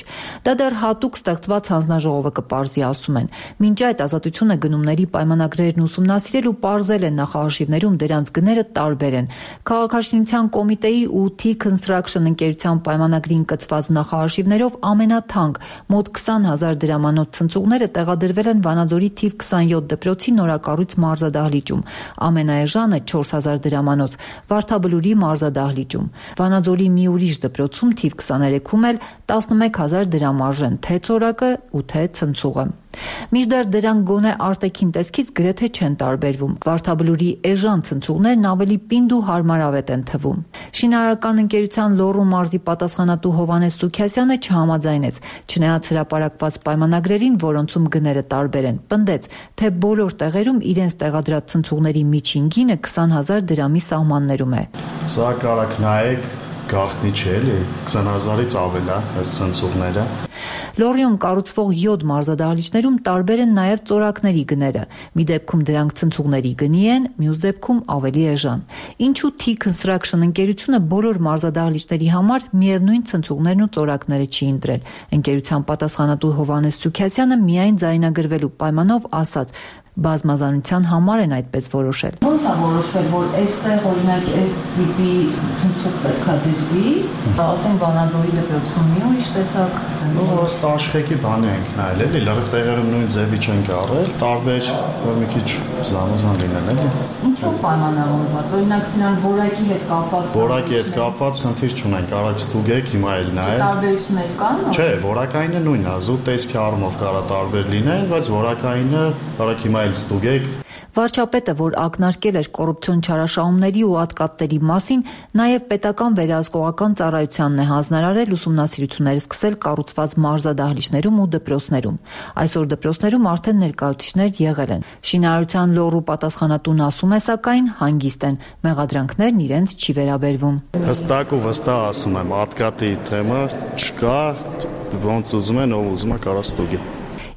B: Դա դեռ հատուկ ստեղծված հանձնաժողովը կպարզի, ասում են։ Մինչ այդ Ազատությունը գնումների պայմանագրերն ուսումնասիրել ու պարզել են նախարարշիվներում դրանց գները տարբեր են։ Քաղաքաշինության կոմիտեի ու T Construction ընկերության պայմանագրին կցված նախարարշիվներով ամենաթանկ մոտ քսան հազար դրամանոց ցնցուղները տեղադրվել են Վանաձորի թիվ քսանյոթ դպրոցի նորակառույց մարզադահլիճում, ամենաէժանը չորս հազար դրամանոց Վարդաբլուրի մարզադահլիճում, Վանաձորի մի ուրիշ դպրոցում թիվ քսաներեքում էլ տասնմեկ հազար դրամ արժեն թե ծորակը ու թե ցնցուղը։ Մինչդեռ դրանք գոնե արտաքին տեսքից գրեթե չեն տարբերվում։ Վարդաբլուրի էժան ցնցուղներն ավելի պինդ ու հարմարավետ են թվում։ Շինարարական ընկերության Լոռու մարզի պատասխանատու Հովհաննես Սուքիասյանը չհամաձայնեց, չնայած հրապարակված պայմանագրերին, որոնցում գները տարբեր են, պնդեց, թե բոլոր տեղերում իրենց տեղադրած ցնցուղների միջին գինը քսան հազար դրամի սահմաններում է։
D: Սա կարաք նայեք, գաղտնի չէ, էլի քսան հազարից ավել է այս ցնցուղները։
B: Լոռիում կառուցվող յոթ մարզադահլիճներում տարբեր են նաև ծորակների գները։ Մի դեպքում դրանք ցնցուղների գնի են, մյուս դեպքում ավելի էժան։ Ինչու T Construction ընկերությունը բոլոր մարզադահլիճների համար միևնույն ցնցուղներն ու ծորակները չի ընտրել։ Ընկերության պատասխանատու Հովհաննես Սուքիասյանը միայն ձայնագրվելու պայմանով ասաց, բազմազանության համար են այդպես որոշել։
E: Ոնց է որոշվել, որ այստեղ օրինակ այս տիպի ցնցուղ պետք է դրվի, ասենք Վանաձորի դպրոցում մի ուրիշ տեսակ։
D: Ըստ աշխեկի բանի ենք նայել, էլի լրիվ տեղերում նույն ձևի չենք առել, տարբեր որ մի քիչ զանազան լինեն, էլի։
E: Ինչու պայմանավորված, օրինակ սրանք որակի հետ կապված։
D: Որակի հետ կապված խնդիր չունեն, կարաք ստուգեք, հիմա էլ նայեք։
E: Տարբերություններ կան։
D: Չէ, որակայինը նույնն է, զուտ տեսքի առումով կարա տարբեր լինեն, բայց որակայինը կարաք հիմա ստուգեք։
B: Վարչապետը, որ ակնարկել էր կոռուպցիոն չարաշահումների ու ատկատների մասին, նաև պետական վերահսկողական ծառայությանն է հանձնարարել ուսումնասիրություններ սկսել կառուցված մարզադահլիճներում ու դպրոցներում։ Այսօր դպրոցներում արդեն ներկայացուցիչներ եղել են։ Շինարարության Լոռու պատասխանատուն ասում է, սակայն հանգիստ են, մեղադրանքներն իրենց չի վերաբերվում։
D: Հստակ ու վստահ ասում եմ, ատկատի թեմա չկա, ոնց ուզում են, ով ուզում է կարա ստուգի։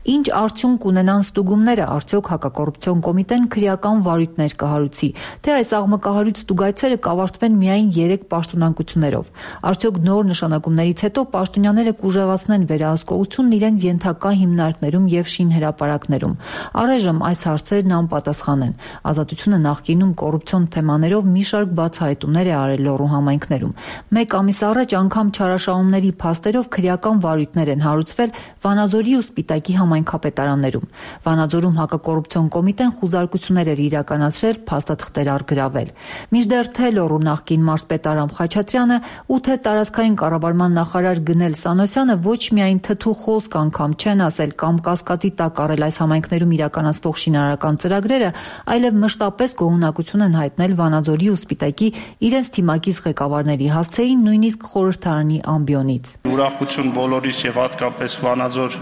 B: Ինչ արդյունք ունենան ստուգումները, արդյոք հակակոռուպցիոն կոմիտեն քրեական վարույթներ կհարուցի, թե այս աղմկահարույց ստուգայցերը կավարտվեն միայն երեք պաշտոնանկություններով։ Արդյոք նոր նշանակումներից հետո պաշտոնյաները կուժեղացնեն վերահսկողությունն իրենց ենթակա հիմնարկներում եւ շինհրապարակներում։ Առայժմ այս հարցերն անպատասխան են։ Ազատությունը նախկինում կոռուպցիոն թեմաներով մի շարք բացահայտումներ է արել Լոռու համայնքներում։ Մեկ ամիս առաջ անգամ չարաշահումների փաստերով քրեական վարույթներ են հարուցվել Վանաձորի ու Սպիտակի համայնքապետարաններում։ Վանաձորում հակակոռուպցիոն կոմիտեն խուզարկություններ էր իրականացրել, փաստաթղթեր առգրավել։ Մինչդեռ թե լոռու նախկին մարզպետ Արամ Խաչատրյանը ու թե տարածքային կառավարման նախարար Գնել Սանոսյանը ոչ միայն թթու խոսք անգամ չեն ասել կամ կասկածի տակ առել այս համայնքներում իրականացվող շինարարական ծրագրերը, այլև մշտապես գոհունակություն են հայտնել Վանաձորի ու Սպիտակի իրենց թիմակից ղեկավարների, հասցեին նույնիսկ խորհրդարանի ամբիոնից։
D: Ուրախություն բոլորիս եւ հատկապես Վանաձոր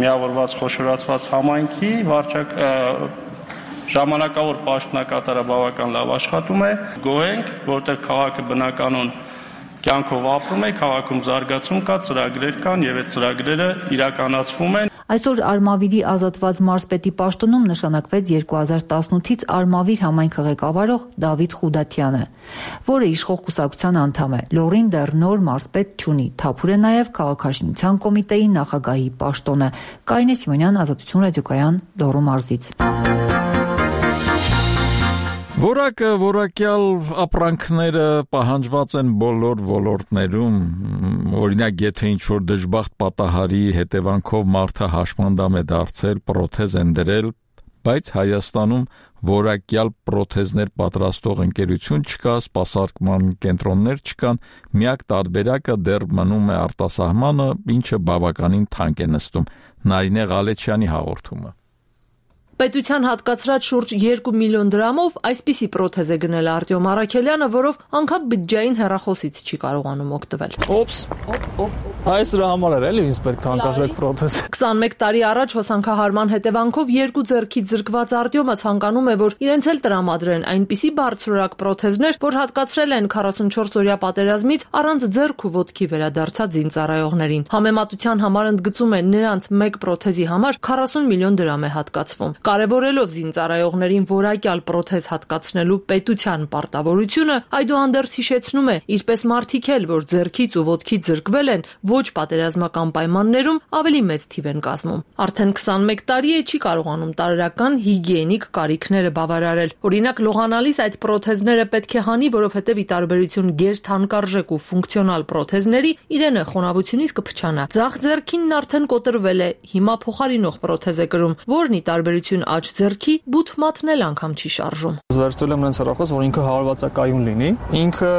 D: միավորված խոշորացված համայնքի վարչակ ժամանակավոր պաշտոնակատարը բավական լավ աշխատում է։ Գոհ ենք, որտեղ քաղաքը բնականon կյանքով ապրում է, քաղաքում զարգացում կա, ծրագրեր կան եւ այդ ծրագրերը իրականացվում են։
B: Այսօր Արմավիրի ազատված մարզպետի պաշտոնում նշանակվեց երկու հազար տասնութից Արմավիր համայնքը ղեկավարող Դավիթ Խուդատյանը, որը իշխող կուսակցության անդամ է։ Լոռին դեռ նոր մարզպետ չունի։ Թափուր է նաև քաղաքաշինության կոմիտեի նախագահի պաշտոնը։ Կարինե Սիմոնյան, Ազատություն ռադիոկայան, Լոռու մարզից։
A: Որակը, որակյալ ապրանքները պահանջված են բոլոր ոլորտներում, օրինակ եթե ինչ-որ դժբախտ պատահարի հետևանքով մարդը հաշմանդամ է դարձել, պրոթեզ են դրել, բայց Հայաստանում որակյալ պրոթեզներ պատրաստող ընկերություն չկա, սպասարկման կենտրոններ չկան, միակ տարբերակը դեռ մնում է արտասահմանը, ինչը բավականին թանկ է նստում։ Նարինե Ղալեչյանի հաղորդումը։
C: Պետության հատկացրած շուրջ երկու միլիոն դրամով այսպիսի պրոթեզ է գնել Արտյոմ Արաքելյանը, որով անգամ բյուջեային հեռախոսից չի կարողանում օգտվել։
G: Օպս։ Այս դրա համար էր էլի ինձ պետք թանկարժեք պրոթեզ։
C: քսանմեկ տարի առաջ հոսանքահարման հետևանքով երկու ձեռքից զրկված Արտյոմը ցանկանում է, որ իրենց էլ տրամադրեն այնպիսի բարձրորակ պրոթեզներ, որ հատկացրել են քառասունչորս օրյա պատերազմից առանց ձեռք ու ոտքի վերադարձած զինծառայողներին։ Համեմատության համար ընդգծում է նրանց մեկ պրոթեզի համար քառասուն միլիոն դրամ է հատկացվում։ Կարևորելով զինծառայողներին որակյալ պրոթեզ հատկացնելու պետության պարտավորությունը, այդուհանդերձ հիշեցնում է, ինչպես մարդիկ էլ, որ ձեռքից ու ոտքից զրկվել են, ոչ պատերազմական պայմաններում ավելի մեծ թիվ են կազմում։ Արդեն քսանմեկ տարի է չի կարողանում տարրական հիգիենիկ կարիքները բավարարել։ Օրինակ լողանալիս այդ պրոթեզները պետք է հանի, որովհետև ի տարբերություն գերթանկարժեք ու ֆունկցիոնալ պրոթեզների, իրենը խոնավությունից կփչանա։ Ձախ ձեռքինն արդեն կոտրվել է, հիմա փոխարինող պրոթեզ է կրում, որն ի տարբերություն աջ ձեռքի բութ մատնել անգամ չի շարժում։
G: Վերցրել եմ նրանց հեռախոս, որ ինքը հարվածակայուն լինի։ Ինքը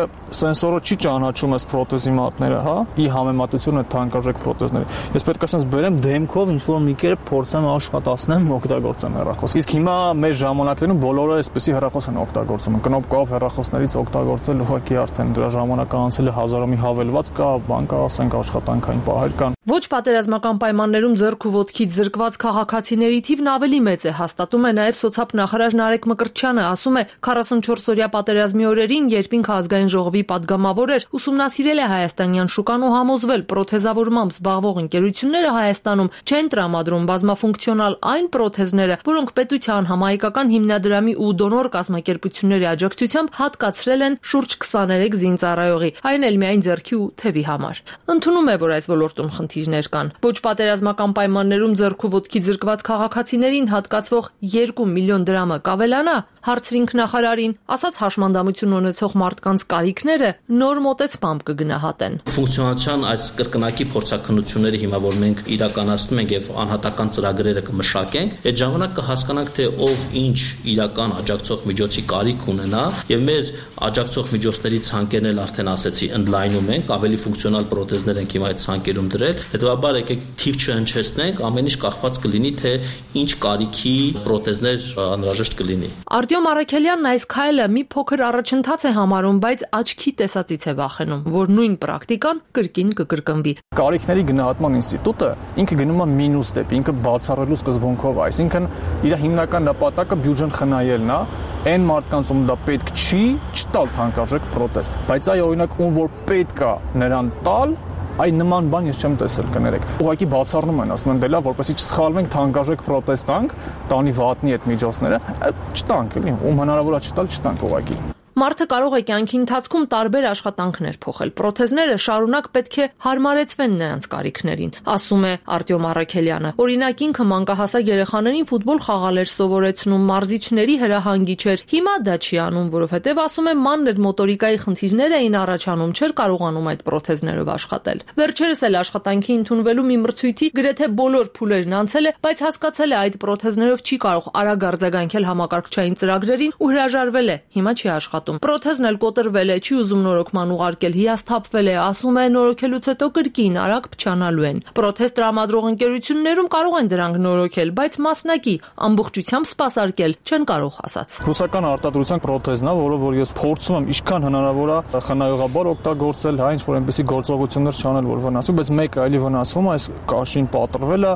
G: սենսորը չի ճանաչում այս պրոթեզի մատները, հա, ի համեմատություն այդ թանկարժեք պրոթեզների։ Ես պետք է ասած բերեմ դեմքով ինչ որ մի կերպ փորձեմ աշխատացնեմ, օգտագործեմ հեռախոս։ Իսկ հիմա մեր ժամանակներում բոլորը այսպեսի հեռախոս են օգտագործում։ Կնոպկով հեռախոսներից օգտագործել ուղղակի արդեն դրա ժամանակը անցել է հազարամի հավելված կա, բան կա, ասենք աշխատանքային պահեր կան։
C: Ոչ պատերազմական պայմաններում ձեռք ու ոտքից զրկված քաղաքացիների թիվն ավելի մեծ է, հաստատում է նաև սոցիալ նախարար Նարեկ Մկրտչյանը, ասում է քառասունչորս օրյա պատերազմի օրերին, երբ ինքը ազգային ժողովի падգամավոր էր, ուսումնասիրել է հայաստանյան շուկան ու համոզվել, պրոթեզավորմամբ զբաղվող ընկերությունները Հայաստանում չեն տրամադրում բազմաֆունկցիոնալ այն պրոթեզները, որոնք պետության համահայկական հիմնադրամի ու դոնոր կազմակերպությունների աջակցությամբ հատկացրել են շուրջ քսաներեք զինծառայողի, այն էլ միայն ձեռքի ու թևի համար։ Ընդունում է, որ այս ոլորտում խնդիրներ կան։ Ոչ պատերազմական պայմաններում ձեռք ու ոտքի զրկված քաղաքացիներին հատկացվող երկու միլիոն դրամը կավելանա, հարցրինք նախարարին, ասաց հաշմանդամություն ունեցող մարդկանց կարիքները նոր մոտեցմամբ կգնահատեն։
H: Ֆունկցիոնալության այս կրկնակի փորձակնությունները հիմա որ մենք իրականացնում ենք եւ անհատական ծրագրերը կմշակենք, այդ ժամանակ կհասկանանք թե ով ինչ իրական աջակցող միջոցի կարիք ունենա եւ մեր աջակցող միջոցների ցանկերն էլ արդեն ասեցի ընդլայնում ենք, ավելի ֆունկցիոնալ պրոթեզներ ենք հիմա այդ ցանկերում դրել, հետեւաբար եկեք թիվ չհնչեցնենք, ամեն ինչ կախված կլինի թե ինչ կարիքի պրոթեզներ անհրաժեշտ կլինի։
C: Արտյոմ Արաքելյանն այս քայլը մի փոքր առաջընթաց է համարում, բայց աչքի տեսածից է վախենում, որ նույն պրակտիկան կրկին կկրկնվի։
G: Կարիքների գնահատման ինստիտուտը ինքը գնում է մինուս դեպի, ինքը բացառելու սկզբունքով, այսինքն իր հիմնական նպատակը բյուջեն խնայելն է, այն մարդկանց ում դա պետք չի, չտալ թանկարժեք պրոթեզ, բայց այ օրինակ ում որ պետք է նրան տալ, այ նման բան ես չեմ տեսել, կներեք։ Ուղղակի բացառնում են, ասում են դելա, որպեսզի չսխալվենք, թանկարժեք պրոթեզ տանք, տանի վատնի այդ միջոցները, չտանք, էլի, ում հնարավոր է չտալ, չտանք ուղղակի։
C: Մարդը կարող է կյանքի ընթացքում տարբեր աշխատանքներ փոխել։ Պրոթեզները շարունակ պետք է հարմարեցվեն նրանց կարիքներին, ասում է Արտյոմ Առաքելյանը։ Օրինակ ինքը մանկահասակ երեխաներին ֆուտբոլ խաղալ էր սովորեցնում, մարզիչների հրահանգիչ էր։ Հիմա դա չի անում, որովհետև ասում է մանր մոտորիկայի խնդիրներ էին առաջանում, չէր կարողանում այդ պրոթեզներով աշխատել։ Վերջերս էլ աշխատանքի ընդունվելու մի մրցույթի գրեթե բոլոր փուլերն անցել է, բայց հասկացել է այդ պրոթեզներով չի կարող արագ արձագանքել համակարգչային ծրագրերին ու հրաժարվել է։ Հիմա չի աշխատում։ Պրոթեզն էլ կոտրվել է, չի ուզում նորոգման ուղարկել, հիասթափվել է, ասում է նորոգելուց հետո կրկին արագ փչանալու են։ Պրոթեզ տրամադրող ընկերություններում կարող են դրանք նորոգել, բայց մասնակի ամբողջությամբ սպասարկել չեն կարող, ասաց։
G: Ռուսական արտադրության պրոթեզն է, որը որ ես փորձում եմ ինչքան հնարավոր է խնայողաբար օգտագործել, հա ինչ որ այնպեսի գործողություններ չանել, որ վնասվի, բայց մեկը այլի վնասվում է, այս կաշին պատրվել է,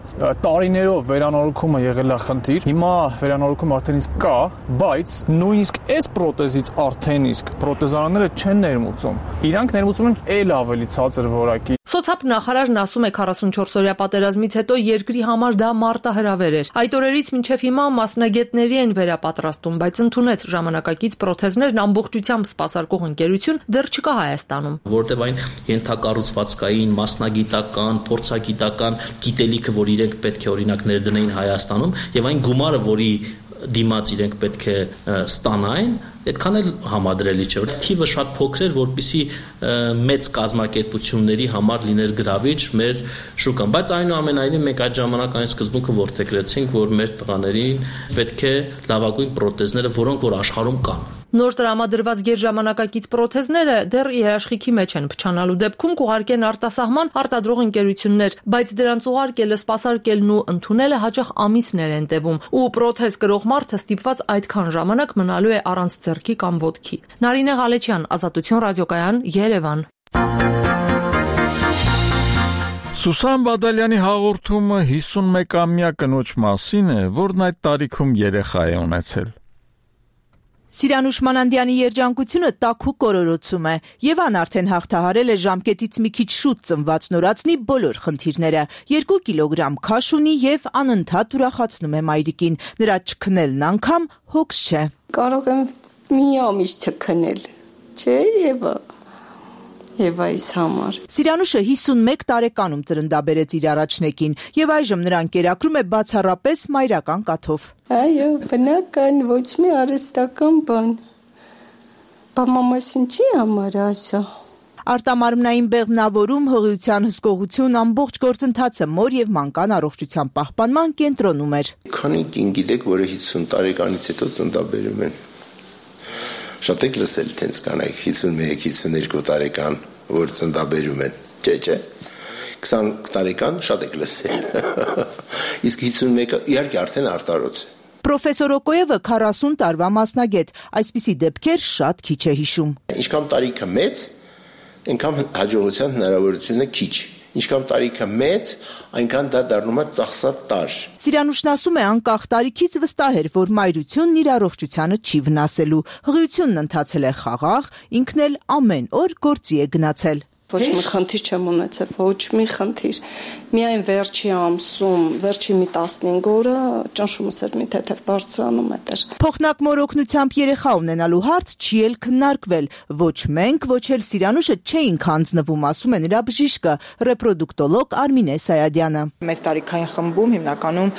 G: տարիներով վերանորոգումը եղել է խնդիր։ Հիմա վերանորոգումը արդեն իսկ կա, բայց նույնիսկ այս պրոթեզից արդեն իսկ պրոթեզարանները չեն ներմուծում։ Իրանք ներմուծում են ել ավելի ցածր որակի։
C: Սոցիալ նախարարն ասում է քառասունչորս-օրյա պատերազմից հետո երկրի համար դա մարտահրավեր էր։ Այդ օրերից մինչև հիմա մասնագետների են վերապատրաստում, բայց ընդունեց ժամանակակից պրոթեզներն ամբողջությամբ սպասարկող ընկերություն դեռ չկա Հայաստանում։
H: Որտեւ այն ենթակառուցվածքային, մասնագիտական, փորձագիտական գիտելիքը, որ իրենք պետք է օրինակ ներդնեին Հայաստանում, եւ այն գումարը, որի դիմաց իրենք պետք է ստանային, այդքան էլ համադրելի չէ, որտեղ թիվը շատ փոքր էր, որպեսզի մեծ կազմակերպությունների համար լիներ գրավիչ մեր շուկան, բայց այնուամենայնիվ մենք այդ ժամանակ այն սկզբունքը որդեգրեցինք, որ մեր տղաներին պետք է լավագույն պրոթեզները, որոնք որ աշխարհում կան։
C: Նոր տրամադրված գերժամանակակից պրոթեզները դեռ երաշխիքի մեջ են, փչանալու դեպքում կուղարկեն արտասահման արտադրող ընկերություններ, բայց դրանց ուղարկելը, սպասարկելն ու ընդունելը հաճախ ամիսներ են տևում, ու պրոթեզ կրող մարդը ստիպված այդքան ժամանակ մնալու է առանց ձեռքի կամ ոտքի։ Նարինե Ղալեչյան, Ազատություն ռադիոկայան, Երևան։
A: Սուսան Բադալյանի հաղորդումը հիսունմեկամյա կնոջ մասին է, որն այդ տարիքում երեխա է ունեցել։
I: Սիրանուշ Մանանդյանի երջանկությունը տաքուկ կորորոցում է։ Եվան արդեն հաղթահարել է ժամկետից մի քիչ շուտ ծնված նորածնի բոլոր խնդիրները։ Երկու կիլոգրամ քաշ ունի եւ անընդհատ ուրախացնում է մայրիկին։ Նրա չքնելն անգամ հոգս չէ։
K: Կարող եմ մի ամիս չքնել, չէ՞ Եվա։ Եվայիս համար։
I: Սիրանուշը հիսունմեկ տարեկանում ծրնդաբերեց իր առաջնեկին եւ այժմ նրան կերակրում է բացառապես մայրական կաթով։
K: Այո, բնական, ոչ մի արհեստական բան։ Բամամաս ինչի համար ասա։
I: Արտամարմնային բեղմնավորում, հղիության հսկողություն, ամբողջ գործընթացը մոր եւ մանկան առողջության պահպանման կենտրոնում էր։
M: Քանի կին գիտեք, որ հիսուն տարեկանից հետո ծննդաբերում են։ Շատ եք լսել տենց կանայք հիսունմեկ հիսունյոթ տարեկան, որ ծննդաբերում են, չէ, չէ, քսան տարեկան շատ եք լսել, իսկ հիսունմեկը իհարկե արդեն արտարոց է։
I: Պրոֆեսոր Օկոևը քառասուն տարվա մասնագետ, այսպիսի դեպքեր շատ քիչ է հիշում։
M: Ինչքան տարիքը մեծ, այնքան հաջողության հնարավորությունը քիչ։ Ինչքան տարիքը մեծ, այնքան դա դառնում է ծախսած տար։
I: Սիրանուշն ասում է, անկախ տարիքից վստահ էր, որ մայրությունն իր առողջությանը չի վնասելու։ Հղիությունն ընթացել է խաղաղ, ինքն էլ ամեն օր գործի է գնացել։
K: Ոչ մի խնդիր չեմ ունեցել, ոչ մի խնդիր։ Միայն վերջի ամսում, վերջի մի տասնհինգ օրը ճնշումս էր մի թեթև բարձրանում էր։
I: Փոխնակ մորօգնությամբ երեխա ունենալու հարց չի էլ քննարկվել։ Ոչ մենք, ոչ էլ Սիրանուշը չէինք հանձնվում, ասում է նրա բժիշկը, ռեպրոդուկտոլոգ Արմինե Սայադյանը։
X: Մեծ տարիքային խմբում հիմնականում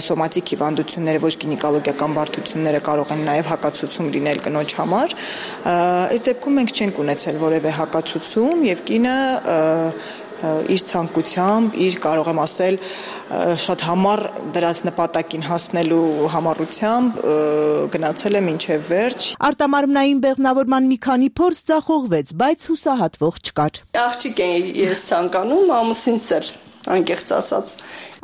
X: սոմատիկ հիվանդությունները, ոչ գինեկոլոգիական բարդությունները կարող են նաև հակացուցում լինել կնոջ համար։ Այս դեպքում մենք չենք ունեցել որևէ հակացուցում եւ կինը իր ցանկությամբ, իր կարող եմ ասել շատ համառ դրած նպատակին հասնելու համառությամբ գնացել է մինչև վերջ։
I: Արտամարմնային բեղմնավորման մի քանի փորձ ձախողվեց, բայց հուսահատվող չկար։
K: Աղջիկ եմ ես ցանկանում, ամուսինս էլ անկեղծ ասած։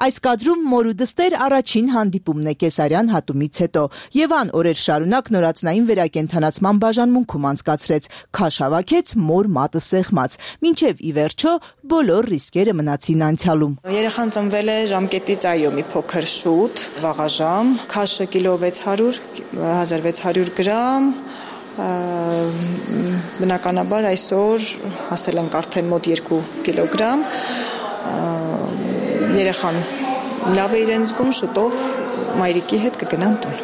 I: Այս կադրում մոր ու դստեր առաջին հանդիպումն է կեսարյան հատումից հետո։ Եվան օրեր շարունակ նորածնային վերակենդանացման բաժանմունքում անցկացրեց, քաշ հավաքեց մոր մատը սեղմած, մինչև ի վերջո բոլոր ռիսկերը մնացին անցյալում։
X: Երեխան ծնվել է ժամկետից այո մի փոքր շուտ, վաղաժամ, քաշը կիլո վեց հարյուր, հազար վեց հարյուր գրամ, բնականաբար այսօր հասել ենք արդեն մոտ երկու կիլոգրամ, երեխան լավ է իրեն զգում, շուտով մայրիկի հետ կգնան տուն։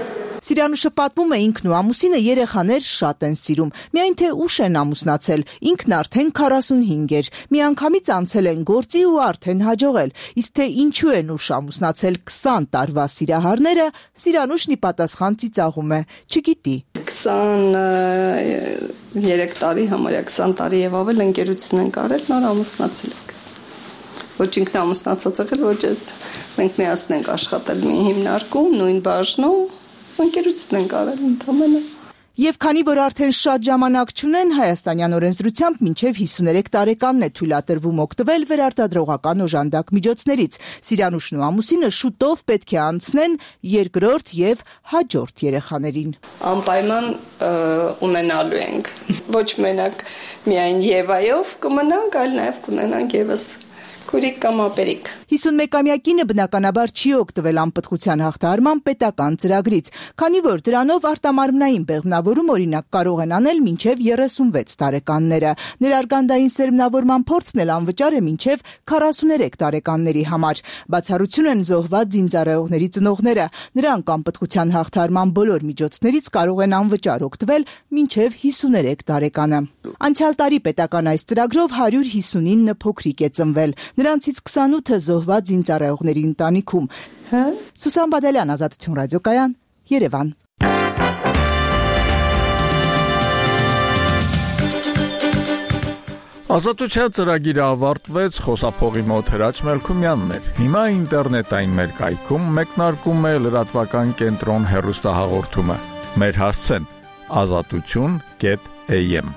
I: Սիրանուշը պատմում է ինքն ու ամուսինը երեխաներ շատ են սիրում, միայն թե ուշ են ամուսնացել, ինքն արդեն քառասունհինգ էր, միանգամից անցել են գործի ու արդեն հաջողել, իսկ թե ինչու են ուշ ամուսնացել քսան տարվա սիրահարները, Սիրանուշն ի պատասխան ծիծաղում է, չգիտի։
K: քսաներեք տարի, համարյա քսան տարի եւ ավել ընկերություն ենք արել, նոր ամուսնացել ենք։ Ոչ ինքն ամուսնացած եղել, ոչ ես։ Մենք միասին ենք աշխատել մի հիմնարկում, նույն բաժնում, ընկերություն ենք արել ընդամենը։
I: Եվ քանի որ արդեն շատ ժամանակ չունեն, հայաստանյան օրենսդրությամբ մինչև հիսուներեք տարեկանն է թույլատրվում օգտվել վերարտադրողական օժանդակ միջոցներից։ Սիրանուշն ու ամուսինը շուտով պետք է անցնեն երկրորդ եւ հաջորդ երեխաներին։
K: Անպայման ունենալու ենք։ Ոչ մենակ միայն Եվայով կմնանք, այլ նաեւ կունենանք եւս քուրիկ կամ ապերիկ։
I: հիսունմեկամյա կինը բնականաբար չի օգտվել անպտղության հաղթահարման պետական ծրագրից, քանի որ դրանով արտամարմնային բեղմնավորում օրինակ կարող են անել մինչև երեսունվեց տարեկանները։ Ներարգանդային սերմնավորման փորձն էլ անվճար է մինչև քառասուներեք տարեկանների համար։ Բացառություն են զոհված զինծառայողների ծնողները։ Նրանք անպտղության հաղթահարման բոլոր միջոցներից կարող են անվճար օգտվել մինչև հիսուներեք տարեկանը։ Անցյալ տարի պետական այս ծրագրով հարյուր հիսունինը փոքրիկ է ծնվել։ Նրանցից քսանութը զոհված զինծառայողների ընտանիքում։ Սուսան Բադալյան, Ազատություն ռադիոկայան, Երևան։
A: Ազատության ծրագիրը ավարտվեց, խոսափողի մոտ Հրաչ Մելքումյանն էր։ Հիմա ինտերնետային մեր կայքում մեկնարկում է լրատվական կենտրոն հեռուստահաղորդումը։ Մեր հասցեն ազատություն կետ էյ էմ